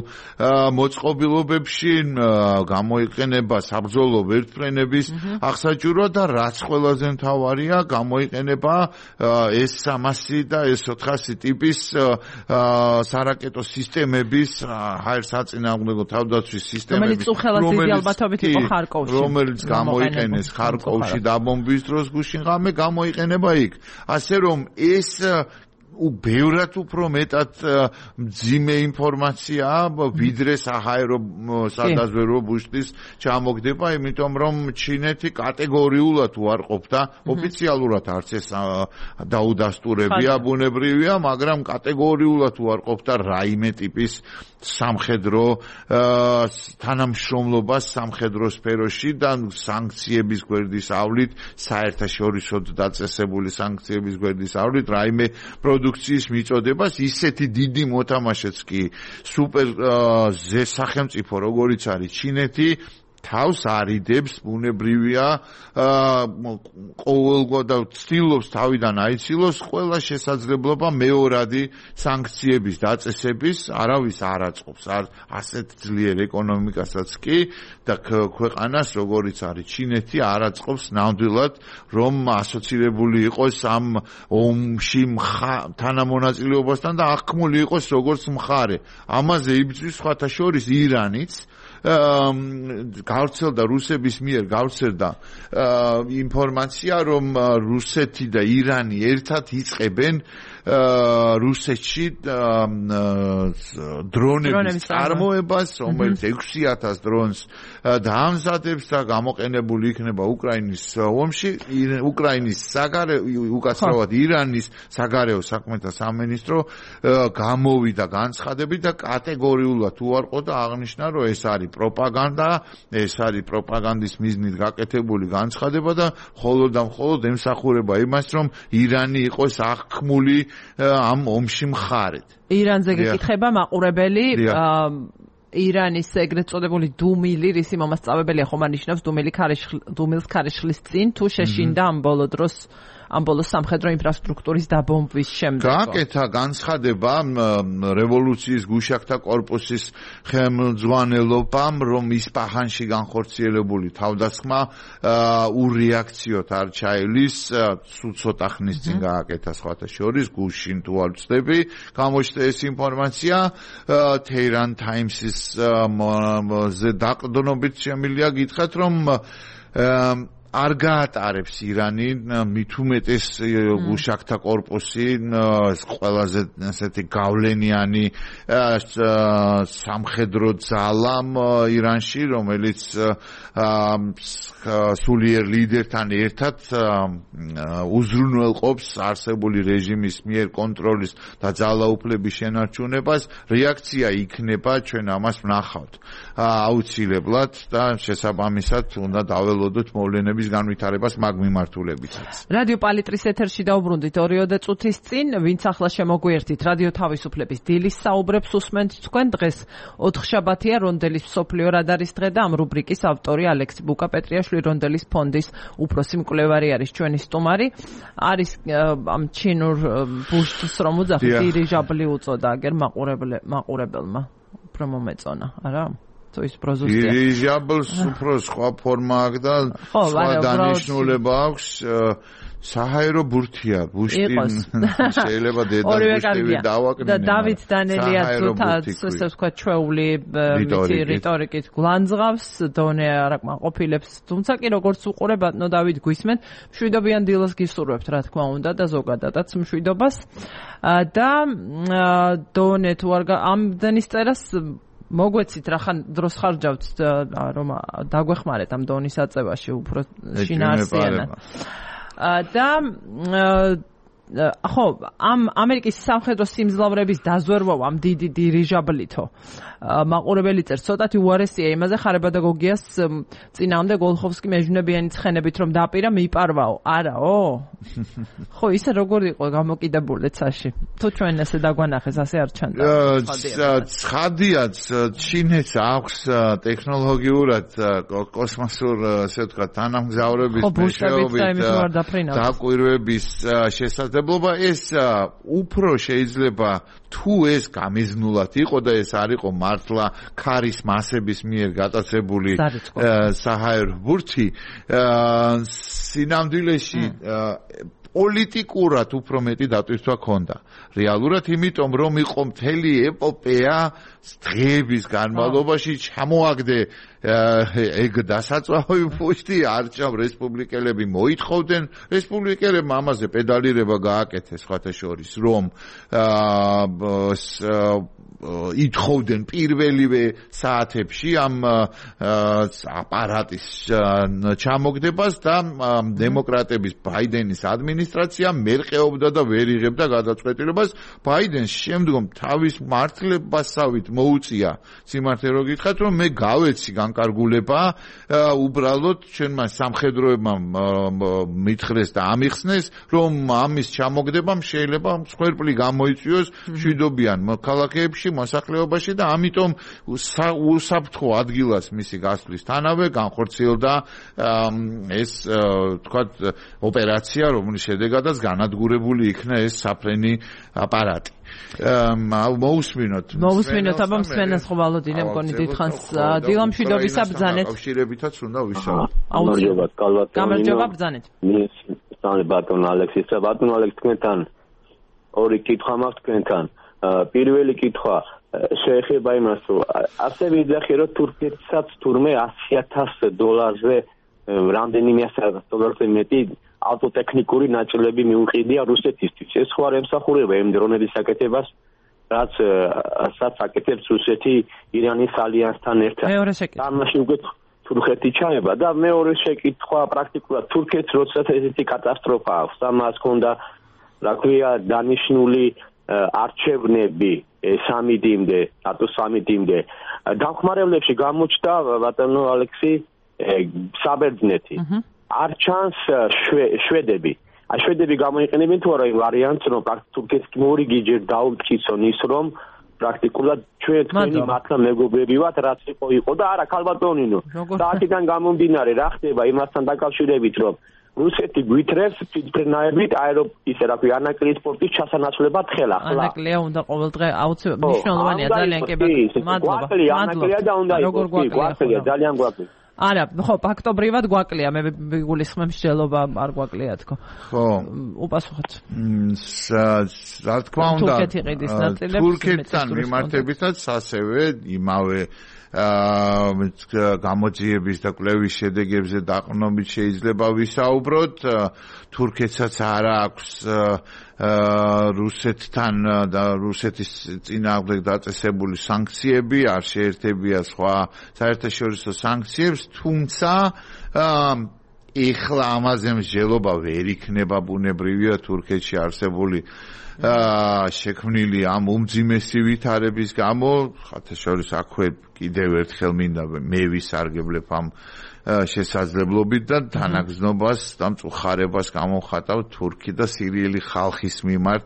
მოწყობილობებში, გამოიყენება საბრძოლო ვერტმფრენების აღსაჭიროდ და რაც ყველაზე მთავარია, გამოიყენება S-300 და S-400 ტიპის სარაკეტო სისტემების, ჰაერსაწინააღმდეგო თავდაცვის სისტემების, რომელიც გამოიყენეს ხარკოვში დაბომბვის დროს გუშინღამე გამოიყენება იქ. ასე რომ ეს ბევრად უფრო მეტად მძიმე ინფორმაციაა, ვიდრე საჰაერო სადაზვერვო ბუშტის ჩამოგდება, იმიტომ რომ ჩინეთი კატეგორიულად უარყოფდა, ოფიციალურად არც ეს დაუდასტურებია, ბუნებრივია, მაგრამ კატეგორიულად უარყოფდა რაიმე ტიპის სამხედრო თანამშრომლობას სამხედრო სფეროში და სანქციების გვერდის ავლით, საერთაშორისოდ დაწესებული სანქციების გვერდის ავლით, რაიმე პროდუქციის მიწოდებას, ისეთი დიდი მოთამაშეც კი სუპერ სახელმწიფო როგორიც არის ჩინეთი, თავს არიდებს, ბუნებრივია, ყოველგვარ და ცდილობს თავიდან აიცილოს ყველა შესაძლებლობა მეორადი სანქციების დაწესების, არავის არ აწყობს ასეთ ძლიერ ეკონომიკასაც კი და ქვეყანას როგორიც არის ჩინეთი არ აწყობს ნამდვილად რომ ასოცირებული იყოს ამ ომში თანამონაწილეობასთან და აღქმული იყოს როგორც მხარე. ამაზე იბრძვის სხვათა შორის ირანიც გავრცელდა რუსების მიერ გავრცელდა ინფორმაცია რომ რუსეთი და ირანი ერთად იწყებენ რუსეთში დრონების წარმოებას, რომელიც 6000 დრონს დაამზადებს და გამოყენებული იქნება უკრაინის ომში. უკრაინის უკაცრავად ირანის საგარეო საქმეთა სამინისტრო გამოვიდა განცხადებით და კატეგორიულად უარყო და აღნიშნა, რომ ეს არის პროპაგანდა, ეს არის პროპაგანდის მიზნით გაკეთებული განცხადება და მხოლოდ და მხოლოდ ემსახურება იმას, რომ ირანი იყოს აღქმული ამ ომში მხარედ. ირანზე გეკითხება მაყურებელი ირანის ეგრეთ წოდებული დუმილი, რისი მომასწავებელია ხომ ანიშნავს დუმილს ქარიშხლის წინ თუ შეშინდა ამ ბოლო დროს ამ ბოლოს სამხედრო ინფრასტრუქტურის დაბომბვის შემდეგ. გააკეთა განცხადება რევოლუციის გუშაქთა კორპუსის ხელმძღვანელობამ, რომ ისპაჰანში განხორციელებული თავდასხმა ურეაქციოდ არ ჩაივლის, სულ ცოტა ხნის წინ გააკეთა სხვათა შორის, გუშინ თუ არ ვწდები, გამოჩნდა ეს ინფორმაცია Tehran Times-ის დაყრდნობით შემიძლია გითხრათ, რომ არ გაატარებს ირანი მით უმეტეს გუშაქთა კორპუსი ყველაზე ასეთი გავლენიანი სამხედრო ძალამ ირანში, რომელიც სულიერ ლიდერთან ერთად უზრუნველყოფს არსებული რეჟიმის მიერ კონტროლის და ძალაუფლების შენარჩუნებას. რეაქცია იქნება, ჩვენ ამას ვნახავთ აუცილებლად და შესაბამისად უნდა დაველოდოთ მოვლენების განვითარებას მაგ მიმართულებითაც. რადიო პალიტრის ეთერში დაუბრუნდით 2 წუთის წინ, ვინც ახლა შემოგვიერთით, რადიო თავისუფლების დილის საუბრებს უსმენთ თქვენ. დღეს 4 შაბათია, რონდელის მსოფლიო რადარის დღე და ამ რუბრიკის ავტორი ალექსი ბუკაპეტრიაშვილი, რონდელის ფონდის უფროსი მკვლევარი არის ჩვენი სტუმარი. არის ამ ჩინურ ბუშტს რომ უძახით, დირიჟაბლი უწოდა აგერ მაყურებელმა. უფრო მომეწონა, არა? თუ ის პროზუსტია. დირიჟაბლს უფრო სხვა ფორმა აქვს და სხვა დანიშნულება აქვს. საჰაერო ბურთია, ბუშტი შეიძლება დედა ბუშტი დავაკნინე. და დავით დანელია ზოთაც ესე ვთქვა ჩვეული რიტორიკით გლანძღავს, დონე არ აკმაყოფილებს. თუმცა კი როგორც უყურებათ, ნო დავით გვისმენ, მშვიდობიან დილას გისურვებთ, რა თქმა უნდა და ზოგადადაც მშვიდობას. და დონე თუ არ ამდენის წერას მოგვეცით რახან დროს ხარჯავთ რომ დაგვეხმარეთ ამ დონის აწევაში უფრო შინაარსიანად. და ხო ამ ამერიკის სამხედრო სიმძლავრების დაზვერვა ამ დიდი დირიჟაბლითო მაყურებელი წერს ცოტათი უარესია იმაზე ხარებადაგოგიას წინააღმდეგ გოლხოვსკი მეჟნებიანი ცხენებით რომ დაპირა მიპარვაო არაო ხო ისე როგორ იყო გამოკიდებული ცაში თუ ჩვენ ესე დაგვანახეს ასე არ ჩანდა ცხადიაც ჩინეთს აქვს ტექნოლოგიურად კოსმოსურ ასე ვთქვათ თანამგზავრების მეშვეობით დაკვირვების შესაძლებლობა ეს უფრო შეიძლება თუ ეს გამიზნულად იყო და ეს არ იყო მართლა ქარის მასების მიერ გატაცებული საჰაერო ბურთი სინამდვილეში პოლიტიკურად უფრო მეტი დატვირთვა ჰქონდა. რეალურად იმიტომ რომ იყო მთელი ეპოპეა დღეების განმავლობაში ჩამოაგდე ეგ დასაწვავი პუშტი არჩევ რესპუბლიკელები მოითხოვდნენ რესპუბლიკელებმა ამაზე პედალირება გააკეთეს სხვათა შორის რომ ითხოვდნენ პირველივე საათებში ამ აპარატის ჩამოგდებას და დემოკრატების ბაიდენის ადმინისტრაცია მერყეობდა და ვერ იღებდა გადაწყვეტილებას ბაიდენს შემდგომ თავის მართლებასავით მოუწია სიმართლე რო გითხრათ რომ მე გავეცი განკარგულება უბრალოდ ჩვენმა სამხედროებმა მითხრეს და ამიხსნეს რომ ამის ჩამოგდებამ შეიძლება მსხვერპლი გამოიწვიოს მშვიდობიან ქალაქებში მოსახლეობაში და ამიტომ უსაფრთხო ადგილას მისი გასვლის თანავე განხორციელდა ეს თქვათ ოპერაცია რომლის შედეგადაც განადგურებული იქნა ეს საფრენი აპარატი მოусმინოთ აბა მსმენელს ხო ვალოდინე მგონი დიდხანს დილამშვიდობისა ბრძანეთ კავშირებითაც უნდა ვისაუბროთ გამარჯობა ბრძანეთ სწავლე ბატონ ალექსის ბატონ ალექს თქვენთან ორი კითხვა მაქვს თქვენთან პირველი კითხვა შეეხება იმას რომ ასე ვიძახი რომ თურქეთსაც თურმე $100,000-ზე რამდენიმე $100,000-ზე მეტი ავტოტექნიკური ნაწილები მიუყიდია რუსეთისთვის. ეს ხო არ ემსახურება იმ დრონების აკეთებას, რაც აკეთებს რუსეთი ირანის ალიანსთან ერთად. ამაში უკვე თურქეთი ჩაება და მეორე შეკითხვა პრაქტიკულად თურქეთს როდესაც ესეთი კატასტროფა აქვს, ამას ჰქონდა რა ქვია დანიშნული არჩევნები სამიდიმდე, ატო სამიდიმდე. დამხმარებლებში გამოჩნდა ბატონო ალექსი საბერძნეთი. არ ჩანს შვედები. შვედები გამოიყენებენ თუ არა იმ ვარიანტს, რომ თურქეთს მორიგი ჯერ დაუმტკიცონ ის, რომ პრაქტიკულად ჩვენ თქვენი მართლა მეგობრები ვართ, რაც იყო და არა ქალბატონინო. და აქედან გამომდინარე რა ხდება იმასთან დაკავშირებით, რომ რუსეთი გვითრებს ფირნაებით ისე რა ქვია ანაკლიის სპორტის ჩასანაცვლებად ხელა ახლა ანაკლია უნდა ყოველდღე აუცილებლად მნიშვნელოვანია ძალიან მადლობა და უნდა გვაკლია ძალიან გვაკლია არა ხო ფაქტობრივად გვაკლია მე გულისხმობ მსჯელობა არ გვაკლია თქო ხო უპასუხოთ რა თქმა უნდა თურქეთთან მიმართებითაც ასევე იმავე გამოძიების და კვლევის შედეგებზე დაყრდნობით შეიძლება ვისაუბროთ თურქეთსაც არ აქვს რუსეთთან და რუსეთის წინააღმდეგ დაწესებული სანქციები არ შეერთებია სხვა საერთაშორისო სანქციებს თუმცა ეხლა ამაზე მსჯელობა ვერ იქნება ბუნებრივია თურქეთში არსებული შექმნილი ამ უმძიმესი ვითარების გამო ხათაშორის აქვე კიდევ ერთხელ მინდა მე ვისარგებლებ ამ შესაძლებლობით და თანაგზნობას და მწუხარებას გამოვხატავ თურქი და სირიელი ხალხის მიმართ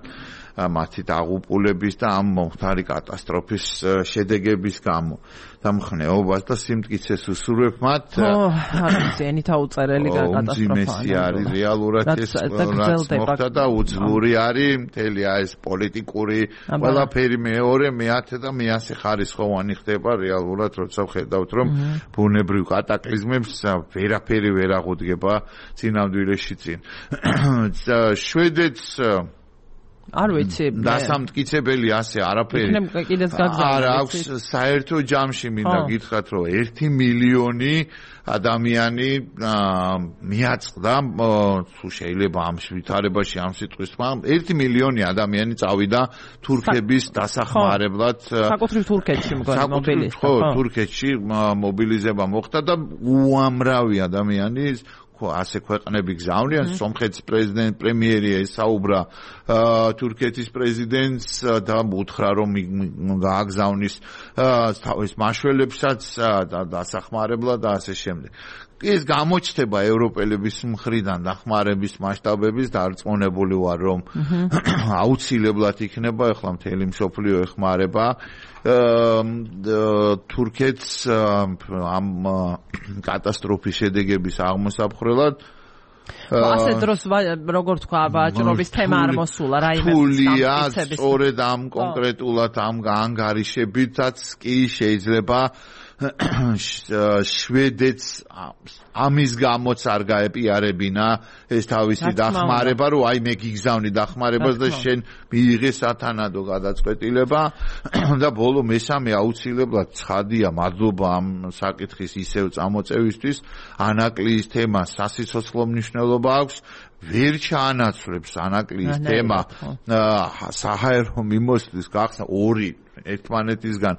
მათი დაღუპულების და ამ მომხდარი კატასტროფის შედეგების გამო. დამხნეობას და სიმტკიცეს უსურვებ მათ. არის ენითა უწერელი კატასტროფა. უმძიმესი არის რეალურად ეს რაც მოხდა და უძლური არის მთელი ეს პოლიტიკური ყველაფერი მეორე, მეათე და მეასე ხარისხოვანი ხდება რეალურად, როცა ხედავთ რომ ბუნებრივ კატაკლიზმებს ვერაფერი ვერ აღუდგება წინამდვილეში წინ. შვედეთს არ ვიცი დასამტკიცებელი ასე არაფერი არ აქვს საერთო ჯამში მინდა გითხრათ რომ 1 მილიონი ადამიანი მიაწყდა თუ შეიძლება ამ ვითარებაში ამ სიტყვის თქმა 1 მილიონი ადამიანი წავიდა თურქების დასახმარებლად საკუთრივ თურქეთში მობილიზება ხო თურქეთში მობილიზება მოხდა და უამრავი ადამიანი ასე ქვეყნები გზავნიან სომხეთის პრემიერი ესაუბრა თურქეთის პრეზიდენტს და უთხრა რომ გააგზავნის თავის მაშველებსაც და დასახმარებლად და ასე შემდეგ. ეს გამოჩნდება ევროპელების მხრიდან დახმარების მასშტაბების დარწმუნებული ვარ რომ აუცილებლად იქნება ახლა მთელი მსოფლიო ეხმარება თურქეთს ამ კატასტროფის შედეგების აღმოსაფხრელად ასე დროს როგორ თქვა ვაჭრობის თემა არ მოსულა რაიმე ფულია სწორედ ამ კონკრეტულად ამ ანგარიშებითაც კი შეიძლება შვედეთს ამის გამოც არ გაეპიარებინა ეს თავისი დახმარება რომ აი მე გიგზავნი დახმარებას და შენ მიიღე სათანადო გადაწყვეტილება და ბოლო მესამე აუცილებლად ცხადია მადლობა ამ საკითხის ისევ წამოწევისთვის ანაკლიის თემა სასიცოცხლო მნიშვნელობა აქვს ვერ ჩაანაცვლებს ანაკლიის თემა საჰაერო მიმოსვლის გახსნა ორი ერთმანეთისგან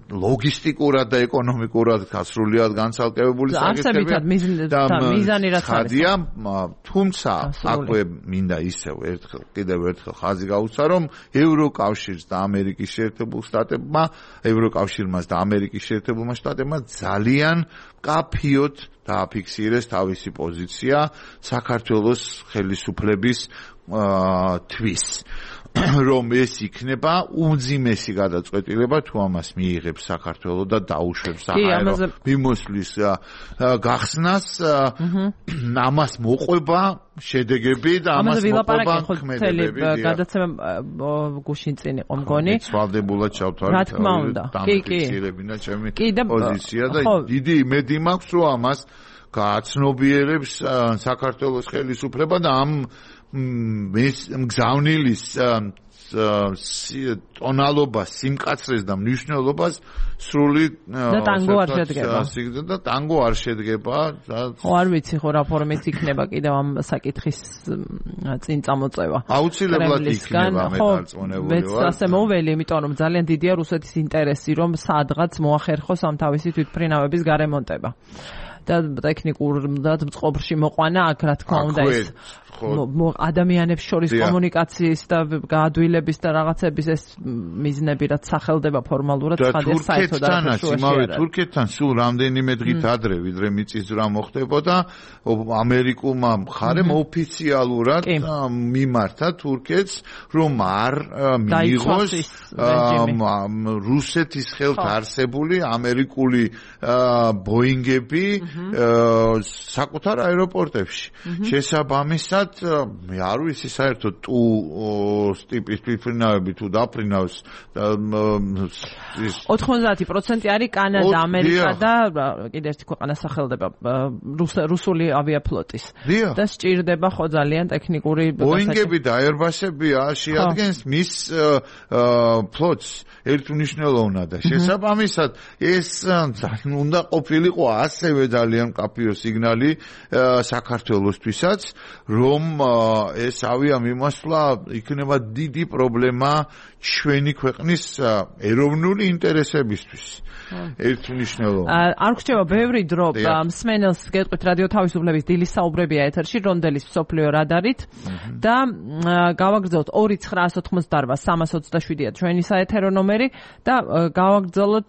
ლოგისტიკურად და ეკონომიკურად გასრულიად განცალკევებული საკითხებია და მიზანი რაც არის თუმცა აქვე მინდა ისევ კიდევ ერთხელ ხაზი გაუცა რომ ევროკავშირს და ამერიკის შეერთებულ შტატებმა ევროკავშირმას და ამერიკის შეერთებულმა შტატებმა ძალიან კაფიოდ დააფიქსირეს თავისი პოზიცია საქართველოს ხელისუფლების თვის რომ ეს იქნება უმძიმესი გადაწყვეტილება თუ ამას მიიღებს საქართველოს და დაუშვებს საჰაერო მიმოსვლის გახსნას ამას მოყვება შედეგები და ამას მოყვება ქმედებები გადაცემა გუშინ წინ იყო მგონი სვალდებულად ჩავთვალეთ დამფიქსირებინა ჩემი პოზიცია და დიდი იმედი მაქვს რომ ამას გააცნობიერებს საქართველოს ხელისუფლება და ამ მგზავნილის ტონალობას, სიმკაცრეს და მნიშვნელობას სრული და ტანგო არ შედგება. და ტანგო არ შედგება. ხო არ ვიცი ხო რა ფორმით იქნება კიდევ ამ საკითხის წინ წამოწევა. აუცილებლად იქნება მე დარწმუნებული ვარ. მეც ასე მოველი, იმიტომ რომ ძალიან დიდია რუსეთის ინტერესი რომ სადღაც მოახერხოს ამ თავისი თვითმფრინავების გარემონტება. და ტექნიკურად მწყობრში მოყვანა აქ რა თქმა უნდა ეს ადამიანებს შორის კომუნიკაციის და გაადვილების და რაღაცების ეს მიზნები რაც სახელდება ფორმალურად ხადეს საერთოდ არ იმავე თურქეთთან სულ რამდენიმე დღით ადრე ვიდრე მიწისძვრა მოხდებოდა ამერიკულმა მხარემ ოფიციალურად მიმართა თურქეთს რომ არ მიიღოს რუსეთის ხელთ არსებული ამერიკული ბოინგები საკუთარ აეროპორტებში შესაბამისად მე არ ვიცი საერთოდ თუ ტიპის თვითმფრინავები თუ დაფრინავს 90% არის კანადა, ამერიკა და კიდე ერთი ქვეყანა სახელდება რუსული ავიაფლოტის და სჭირდება ხო ძალიან ტექნიკური ბოინგები და აერბასები შეადგენს მის ფლოტს ერთმნიშვნელოვნად და შესაბამისად ეს უნდა ყოფილიყო ასევე ძალიან კაფიო სიგნალი საქართველოსთვისაც რომ ეს ავიამიმოსვლა იქნება დიდი პრობლემა ჩვენი ქვეყნის ეროვნული ინტერესებისთვის. ერთმნიშვნელოვნად. არ გრჩება ბევრი დრო მსმენელს გეტყვით რადიო თავისუფლების დილის საუბრებია ეთერში რონდელის მსოფლიო რადარით და გავაგრძელოთ 2988-327-ია ჩვენი საეთერო ნომერი და გავაგრძელოთ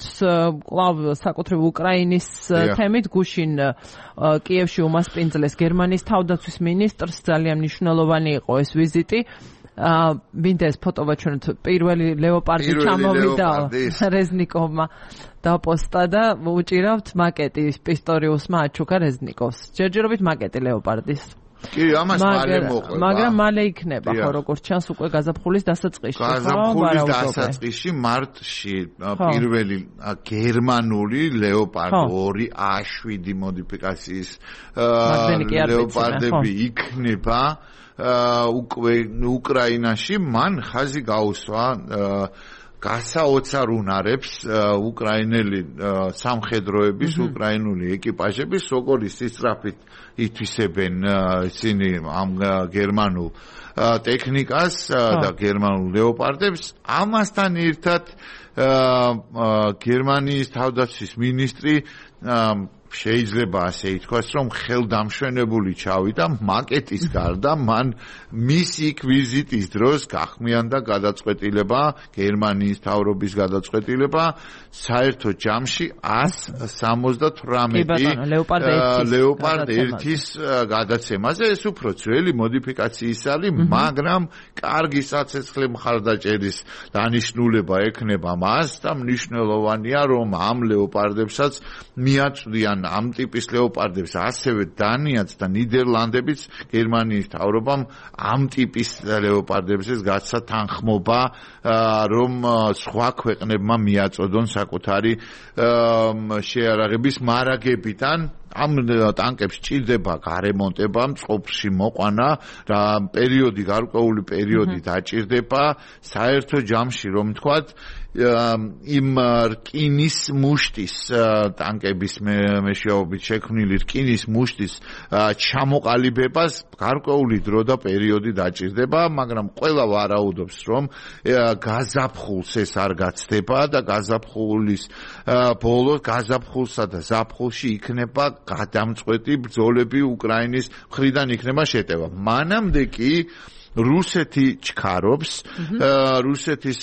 კვლავ საკუთრივ უკრაინის თემით გუშინ კიევში უმასპინძლეს გერმანიის თავდაცვის მინისტრს ძალიან მნიშვნელოვანი იყო ეს ვიზიტი მინდა ეს ფოტო ვაჩვენოთ. პირველი ლეოპარდი ჩამოვიდა რეზნიკოვმა დაპოსტა და უჭირავთ მაკეტი პისტორიუსმა აჩუქა რეზნიკოვს. ჯერჯერობით მაკეტი ლეოპარდის. კი, ამას მალე მოყვება. მაგრამ მალე იქნება, ხო, როგორც ჩანს უკვე გაზაფხულის დასაწყისში. გაზაფხულის დასაწყისში მარტში პირველი გერმანული ლეოპარდი 2 A7 მოდიფიკაციის ლეოპარდები იქნება უკვე უკრაინაში. მან ხაზი გაუსვა გასაოცარ უნარებს უკრაინელი სამხედროების, უკრაინული ეკიპაჟების, როგორი სისწრაფით ითვისებენ ისინი ამ გერმანულ ტექნიკას და გერმანულ ლეოპარდებს. ამასთან ერთად გერმანიის თავდაცვის მინისტრი შეიძლება ასე ითქვას, რომ ხელდამშვენებული ჩავიდა მაკეტის გარდა, მან მისი იქ ვიზიტის დროს გახმიანდა გადაწყვეტილება, გერმანიის თავრობის გადაწყვეტილება, საერთო ჯამში 178 ლეოპარდ 1-ის გადაცემაზე. ეს უფრო ძველი მოდიფიკაციის ალი, მაგრამ კარგი საცეცხლე მხარდაჭერის დანიშნულება ექნება მას და მნიშვნელოვანია, რომ ამ ლეოპარდებსაც მიაწვდიან ამ ტიპის ლეოპარდებს ასევე დანიაც და ნიდერლანდებიც გერმანიის თავრობამ ამ ტიპის ლეოპარდებს გაცა თანხმობა, რომ სხვა ქვეყნებმა მიაწოდონ საკუთარი შეარაღების მარაგებიდან. ამ ტანკებს ჭირდება გარემონტება, მწყობრში მოყვანა, რა პერიოდი, გარკვეული პერიოდი დაჭირდება, საერთო ჯამში რომ ვთქვათ, იმ რკინის მუშტის ტანკების მეშვეობით შექმნილი რკინის მუშტის ჩამოყალიბებას გარკვეული დრო და პერიოდი დაჭირდება, მაგრამ ყველა ვარაუდობს, რომ გაზაფხულს ეს არ გაცდება და გაზაფხულის ბოლოს გაზაფხულსა და ზაფხულში იქნება გადამწყვეტი ბრძოლები უკრაინის მხრიდან იქნება შეტევა. მანამდე კი რუსეთი ჩქარობს, რუსეთის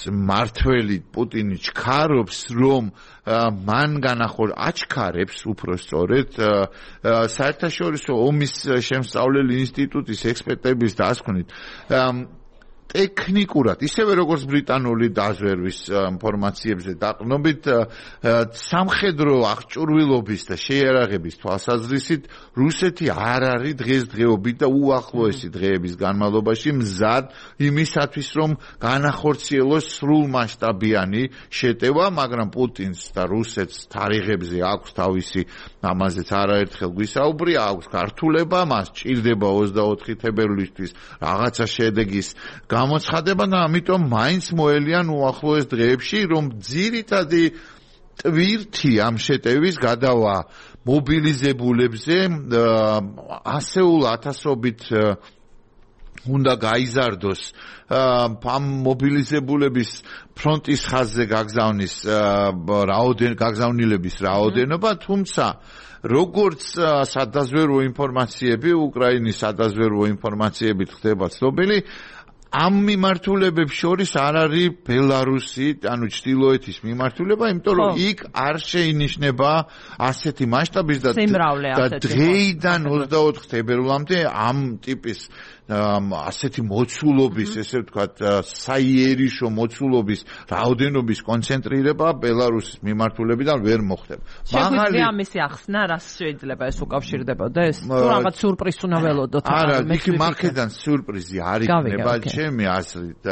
მართველი პუტინი ჩქარობს, რომ მან აჩქარებს უფრო სწორედ საერთაშორისო ომის შემსწავლელი ინსტიტუტის ექსპერტების დასკვნით ტექნიკურად, ისევე როგორც ბრიტანული დაზვერვის ინფორმაციებზე დაყრდნობით, სამხედრო აღჭურვილობის და შეიარაღების თვალსაზრისით რუსეთი არ არის დღესდღეობით და უახლოესი დღეების განმავლობაში მზად იმისათვის, რომ განახორციელოს სრულმასშტაბიანი შეტევა, მაგრამ პუტინს და რუსეთს თარიღებზე აქვს თავისი, ამაზეც არაერთხელ გვისაუბრია, აქვს გართულება, მას ჭირდება 24 თებერვლისთვის რაღაცა შედეგის გამოცხადება და ამიტომ მაინც მოელიან უახლოეს დღეებში, რომ ძირითადი ტვირთი ამ შეტევის გადავა მობილიზებულებზე, ასეულ ათასობით უნდა გაიზარდოს ამ მობილიზებულების ფრონტის ხაზზე გაგზავნილების რაოდენობა, თუმცა როგორც სადაზვერვო ინფორმაციები, უკრაინის სადაზვერვო ინფორმაციებით ხდება ცნობილი, ამ მიმართულებებს შორის არ არის ბელარუსი, ანუ ჩრდილოეთის მიმართულება, იმიტომ რომ იქ არ შეინიშნება ასეთი მასშტაბის და დღეიდან 24 თებერვლამდე ამ ტიპის ასეთი მოცულობის, ესე ვთქვათ, საიერიშო მოცულობის რაოდენობის კონცენტრირება ბელარუსის მიმართულებიდან ვერ მოხდება. შეგვიძლია ამისი ახსნა, რას შეიძლება ეს უკავშირდებოდეს? თუ რაღაც სურპრიზს უნდა ველოდოთ? არა, იქ მაქედან სურპრიზი არ იქნება, ჩემი აზრით,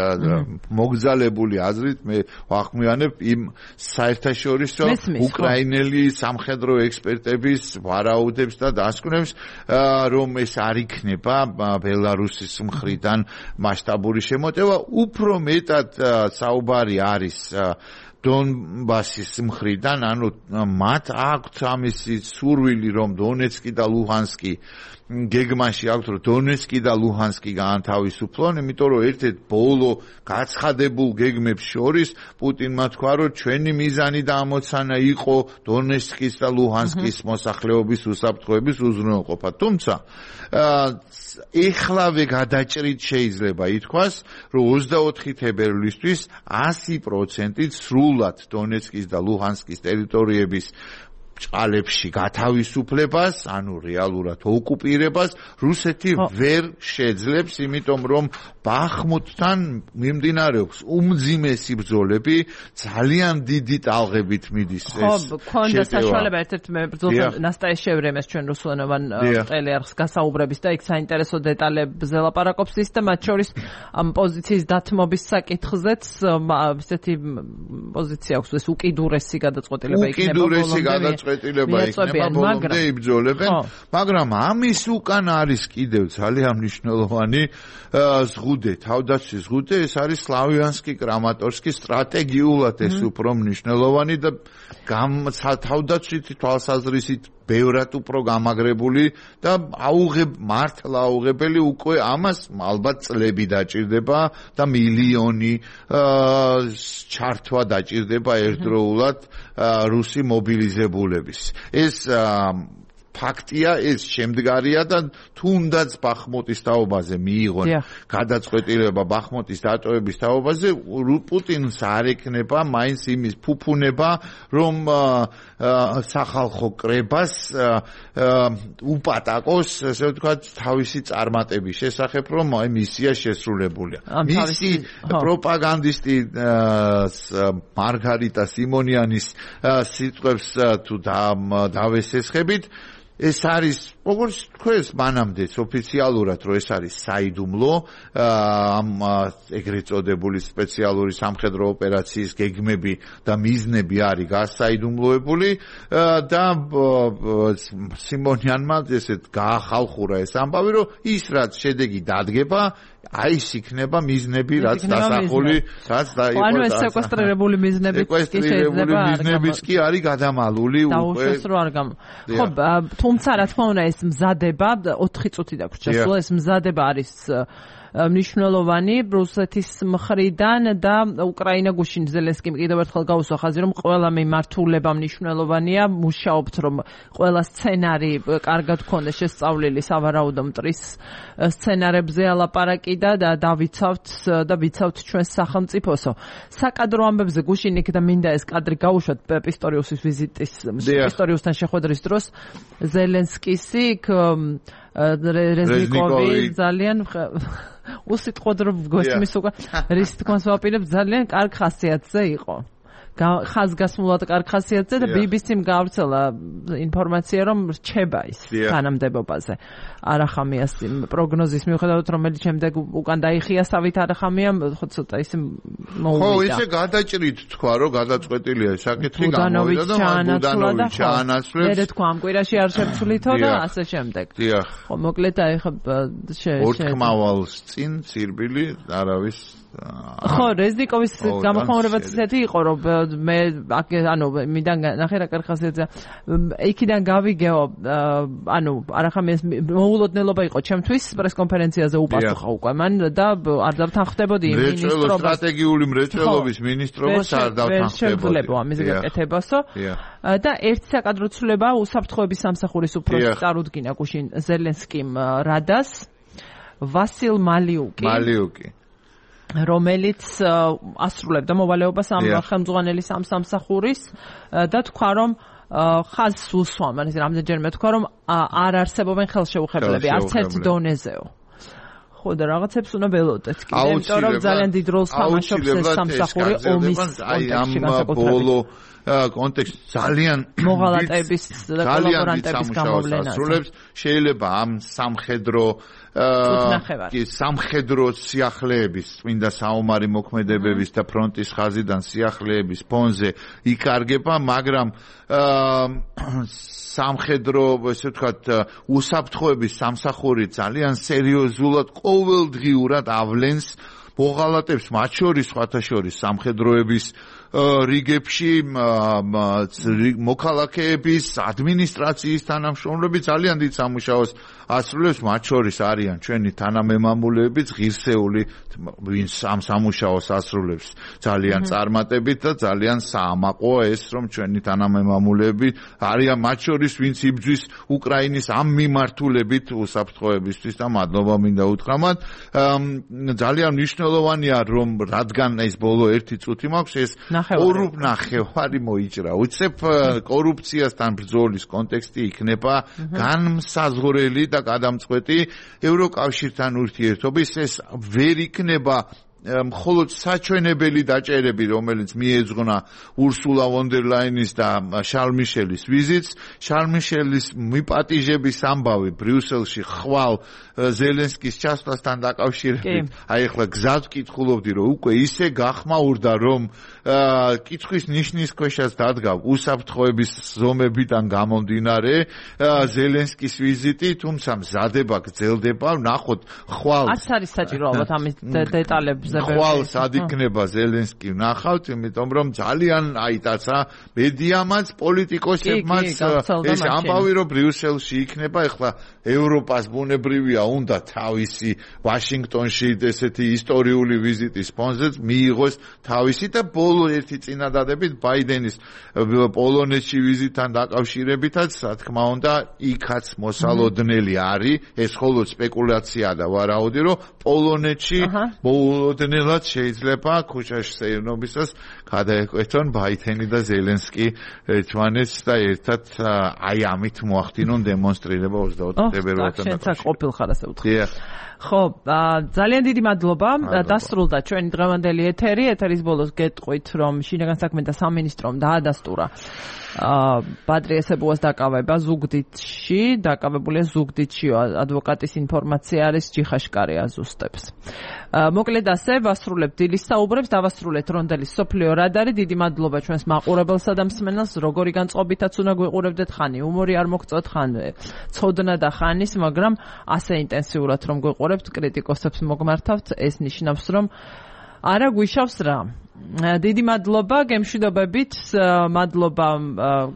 მოგზალებული აზრით, მე ვახმიანებ იმ საერთაშორისო უკრაინელი სამხედრო ექსპერტების ვარაუდებს და დასკვნებს, რომ ეს არ იქნება ბელარუსის მხრიდან მასშტაბური შემოტევა, უფრო მეტად საუბარი არის დონბასის მხრიდან, ანუ მათ აქვთ ამისი სურვილი, რომ დონეცკი და ლუჰანსკი გეგმაში აქვთ, რომ დონეცკი და ლუჰანსკი გაანთავისუფლონ, იმიტომ რომ ერთ-ერთ ბოლო გაცხადებულ გეგმებს შორის პუტინმა თქვა, რომ ჩვენი მიზანი და ამოცანა იყო დონეცკის და ლუჰანსკის მოსახლეობის უსაფრთხოების უზრუნველყოფა. თუმცა ეხლავე გადაჭრით შეიძლება ითქვას, რომ 24 თებერვლისთვის 100%-ით სრულად დონეცკის და ლუჰანსკის ტერიტორიების ჭალებში გათავისუფლებას, ანუ რეალურად ოკუპირებას რუსეთი ვერ შეძლებს, იმიტომ რომ ბახმუტთან მიმდინარეობს უმძიმესი ბრძოლები, ძალიან დიდი ტალღებით მიდის ეს. ხო, ქონდა საშუალება ერთ-ერთ ბრძოლთან ნასტაიშევრემეს ჩვენ რუსულენოვან ტელეარხს გასაუბრების და იქ საინტერესო დეტალებზე ლაპარაკობს ის და მათ შორის ამ პოზიციის დათმობის საკითხზეც ესეთი პოზიცია აქვს, ეს უკიდურესი გადაწყვეტილება იქნება ბოლომდე იბრძოლებენ, მაგრამ ამის უკან არის კიდევ ძალიან მნიშვნელოვანი ზღუდე, თავდაცვის ზღუდე, ეს არის სლავიანსკი, კრამატორსკი, სტრატეგიულად ეს უფრო მნიშვნელოვანი და თავდაცვითი თვალსაზრისით ბევრად უფრო გამაგრებული და მართლა აუღებელი უკვე ამას ალბათ წლები დაჭირდება და მილიონი ჩართვა დაჭირდება ერთდროულად რუსი მობილიზებულების. ეს ფაქტია, ეს შემდგარია და თუნდაც ბახმუტის თაობაზე მიიღონ გადაწყვეტილება ბახმუტის დატოვების თაობაზე, პუტინს არ ექნება მაინც იმის ფუფუნება, რომ სახალხო კრებას უპატაკოს, ესე ვთქვათ, თავისი წარმატების შესახებ, რომ აი მისია შესრულებულია. მისი პროპაგანდისტი მარგარიტა სიმონიანის სიტყვებს თუ დავესესხებით, ეს არის, როგორც თქვენს მანამდეც ოფიციალურად, რომ ეს არის საიდუმლო, ამ ეგრეთ წოდებული სპეციალური სამხედრო ოპერაციის გეგმები და მიზნები არის გასაიდუმლოებული და სიმონიანმა ესეთ გაახალხურა ეს ამბავი, რომ ის რაც შედეგი დადგება, აი ის იქნება მიზნები, რაც დასახული, რაც დაიყო. ანუ ეს სეკვესტრირებული მიზნებიც კი არის გადამალული უკვე. დაუშვეს რომ არ გამ. ხო, თუმცა რა თქმა უნდა ეს მზადება 4 წუთი დაგვრჩა. სულ ეს მზადება არის მნიშვნელოვანი რუსეთის მხრიდან და უკრაინა გუშინ ზელენსკიმ კიდევ ერთხელ გაუსვა ხაზი, რომ ყველა მიმართულება მნიშვნელოვანია, მუშაობთ რომ ყველა სცენარი კარგად გქონდეს შესწავლილი სავარაუდო მტრის სცენარებზე ალაპარაკი და ვიცავთ ჩვენს სახელმწიფოსო. საკადრო ამბებზე გუშინ იქ და მინდა ეს კადრი გავუშვათ პისტორიუსის ვიზიტის პისტორიუსთან შეხვედრის დროს ზელენსკისი იქ რეზნიკოვი ძალიან უსიტყვოდ რომ გოსმის უკვე რის თქმას ვაპირებ ძალიან კარგ ხასიათზე იყო. ხაზგასმულად კარგ ხასიათზე და BBC-მ გავრცელა ინფორმაცია რომ რჩება ის თანამდებობაზე. არახამიას პროგნოზის მიუხედავად რომელიც შემდეგ უკან დაიხია სავით არახამია ხო ცოტა ისე მოუვიდა. ხო, ისე გადაჭრით თქვა რომ გადაწყვეტილია საკითხი გამოვიდა და ბუდანოვიჩ ჩაანაცვლებს. მე თქვა ამ კვირაში არ შევცვლითო და ასე შემდეგ. ხო, მოკლედ აი ხა ორთქმავალს წინ ცირბილი არავის ხო, რეზნიკოვის გამოხმაურებაც ისეთი იყო, რომ მე ანუ მიდან ნახე რა კარგ ხასიათზეა. იქიდან გავიგეო, ანუ არახამიას მოულოდნელობა იყო ჩემთვის პრესკონფერენციაზე უპასუხა უკვე მან და არ დავთანხმდებოდი მინისტრობას. სტრატეგიული მრეწველობის მინისტრობას არ დავთანხმდებოდი. ამის გაკეთებასო. და ერთი საკადრო ცვლილება უსაფრთხოების სამსახურის უფროსი წარუდგინა გუშინ ზელენსკიმ რადას ვასილ მალიუკი რომელიც ასრულებდა მოვალეობას ამ ხელმძღვანელის ამ სამსახურის და თქვა რომ ხაზს უსვამ, ანუ რამდენჯერმე თქვა რომ არ არსებობენ ხელშეუხებლები არც ერთ დონეზეო. ხო და რაღაცებს უნდა ველოდეთ კიდე, იმიტომ რომ ძალიან დიდ როლს თამაშობს ეს სამსახური ომის კონტექსტში განსაკუთრებით. კონტექსტ ძალიან მოღალატეების და კოლაბორანტების გამოვლენას შეიძლება ამ სამხედრო სიახლეების წმინდა საომარი მოქმედებების და ფრონტის ხაზიდან სიახლეების ფონზე იკარგება, მაგრამ სამხედრო, ესე ვთქვათ, უსაფრთხოების სამსახური ძალიან სერიოზულად ყოველდღიურად ავლენს მოღალატებს, მათ შორის სხვათა შორის სამხედროების რიგებში მოქალაქეების ადმინისტრაციის თანამშრომლები ძალიან დიდ სამუშაოს ასრულებს, მათ შორის არიან ჩვენი თანამემამულეები, ღირსეული, ვინც ამ სამუშაოს ასრულებს ძალიან წარმატებით და ძალიან საამაყოა ეს, რომ ჩვენი თანამემამულეები არიან მათ შორის, ვინც იბრძვის უკრაინის ამ მიმართულებით უსაფრთხოებისთვის და მადლობა მინდა უთხრა მათ. ძალიან მნიშვნელოვანია, რომ რადგან ეს ბოლო 1 წუთი მაქვს, ეს 2.5 მოიჭრა. უცებ კორუფციასთან ბრძოლის კონტექსტი იქნება განმსაზღვრელი და გადამწყვეტი ევროკავშირთან ურთიერთობის ეს ვერ იქნება მხოლოდ საჩვენებელი დაჭერები, რომელიც მიეძღვნა ურსულა ვონ დერ ლაინის და შარლ მიშელის ვიზიტს, შარლ მიშელის მიპატიჟების ამბავი ბრიუსელში ხვალ ზელენსკის ჩასვლასთან დაკავშირებით, აი ახლა გზად ვკითხულობდი, რომ უკვე ისე გახმაურდა, რომ კითხვის ნიშნის ქვეშაც დადგა უსაფრთხოების ზომებიდან გამომდინარე ზელენსკის ვიზიტი, თუმცა მზადება გრძელდება, ვნახოთ ხვალ არც არის საჭირო ალბათ ამის დეტალებზე ხვალ სად იქნება ზელენსკი ვნახავთ, იმიტომ რომ ძალიან აიტაცა მედიამაც, პოლიტიკოსებმაც ეს ამბავი, რომ ბრიუსელში იქნება, ეხლა ევროპას ბუნებრივია უნდა თავისი ვაშინგტონში ესეთი ისტორიული ვიზიტის ფონზე მიიღოს თავისი და ბოლო ერთი წინადადებით ბაიდენის პოლონეთში ვიზიტთან დაკავშირებითაც, რა თქმა უნდა, იქაც მოსალოდნელი არის, ეს მხოლოდ სპეკულაცია და ვარაუდი, რომ პოლონეთში მოულოდნელად შეიძლება ქუჩაში სეირნობისას გადაეკვეთონ ბაიდენი და ზელენსკი ერთმანეთს და ერთად აი ამით მოახდინონ დემონსტრირება 24 თებერვალთან დაკავშირებით. ხო, ძალიან დიდი მადლობა. დასრულდა ჩვენი დღევანდელი ეთერი. ეთერის ბოლოს გეტყვით, რომ შინაგან საქმეთა სამინისტრომ დაადასტურა ბადრიესებუას დაკავება ზუგდიდში, დაკავებულია ზუგდიდში ადვოკატის ინფორმაცია არის ჯიხაშკარი აზუსტებს. მოკლედ ასე ვასრულებ დილის საუბრებს, დავასრულეთ რონდელის სოფლიო რადარი. დიდი მადლობა ჩვენს მაყურებელსა და მსმენელს, როგორი განწყობითაც უნდა გვიყურებდეთ, ხანი უმორი არ მოგწოთ, ხან ცოდნა და ხანის, მაგრამ ასე ინტენსიურად რომ გვიყურებთ, კრიტიკოსებს მოგმართავთ, ეს ნიშნავს, რომ არა გვიშავს რა. დიდი მადლობა, გემშვიდობებით, მადლობა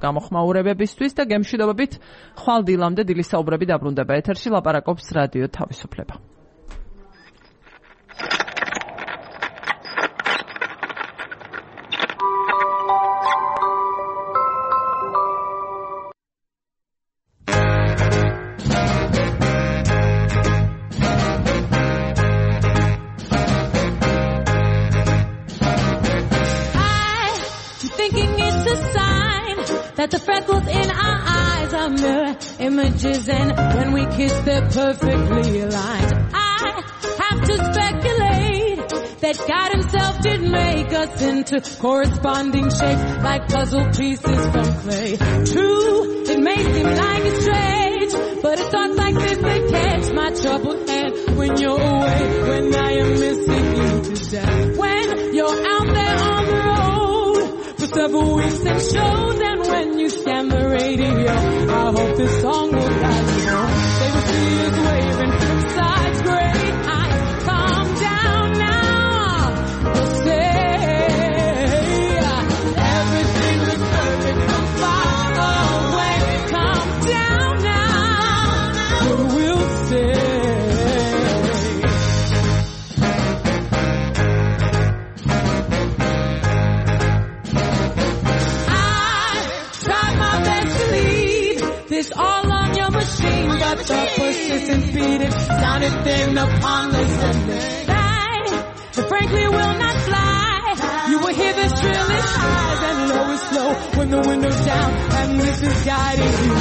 გამოხმაურებებისთვის და გემშვიდობებით, ხვალ დილამდე დილის საუბრები დაბრუნდება ეთერში, ლაპარაკობს რადიო თავისუფლება. That the freckles in our eyes are mirror images, and when we kiss they're perfectly aligned. I have to speculate that God himself did make us into corresponding shapes like puzzle pieces from clay. True, it may seem like it's strange, but it's thoughts like this that catch my troubled hand when you're away, when I am missing you to death. When you're out there on the road for several weeks and shows, and when you scan the radio, I hope this song will guide you home. They will see us waving from sides, great heights. Calm down now. We'll say everything looks perfect from far away. Calm down now. We'll say all on your machine, but the persistent beating sounded thin upon the Sunday night. But frankly, will not fly. You will hear the trillest highs and lowest low when the window's down and this is guiding you.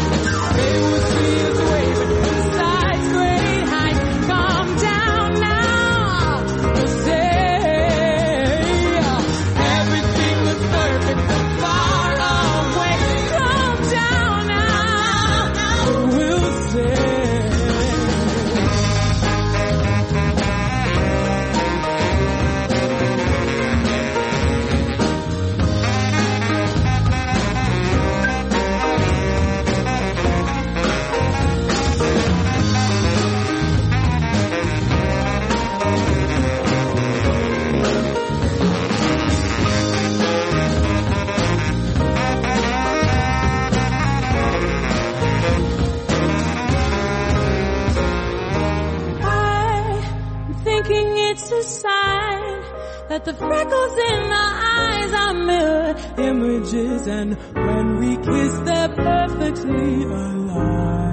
They will see us waving from sides, great heights. Calm down now. We'll say everything looks perfect from far away. Calm down now. We'll say it's a sign that the freckles in our eyes are mirror images, and when we kiss they're perfectly aligned.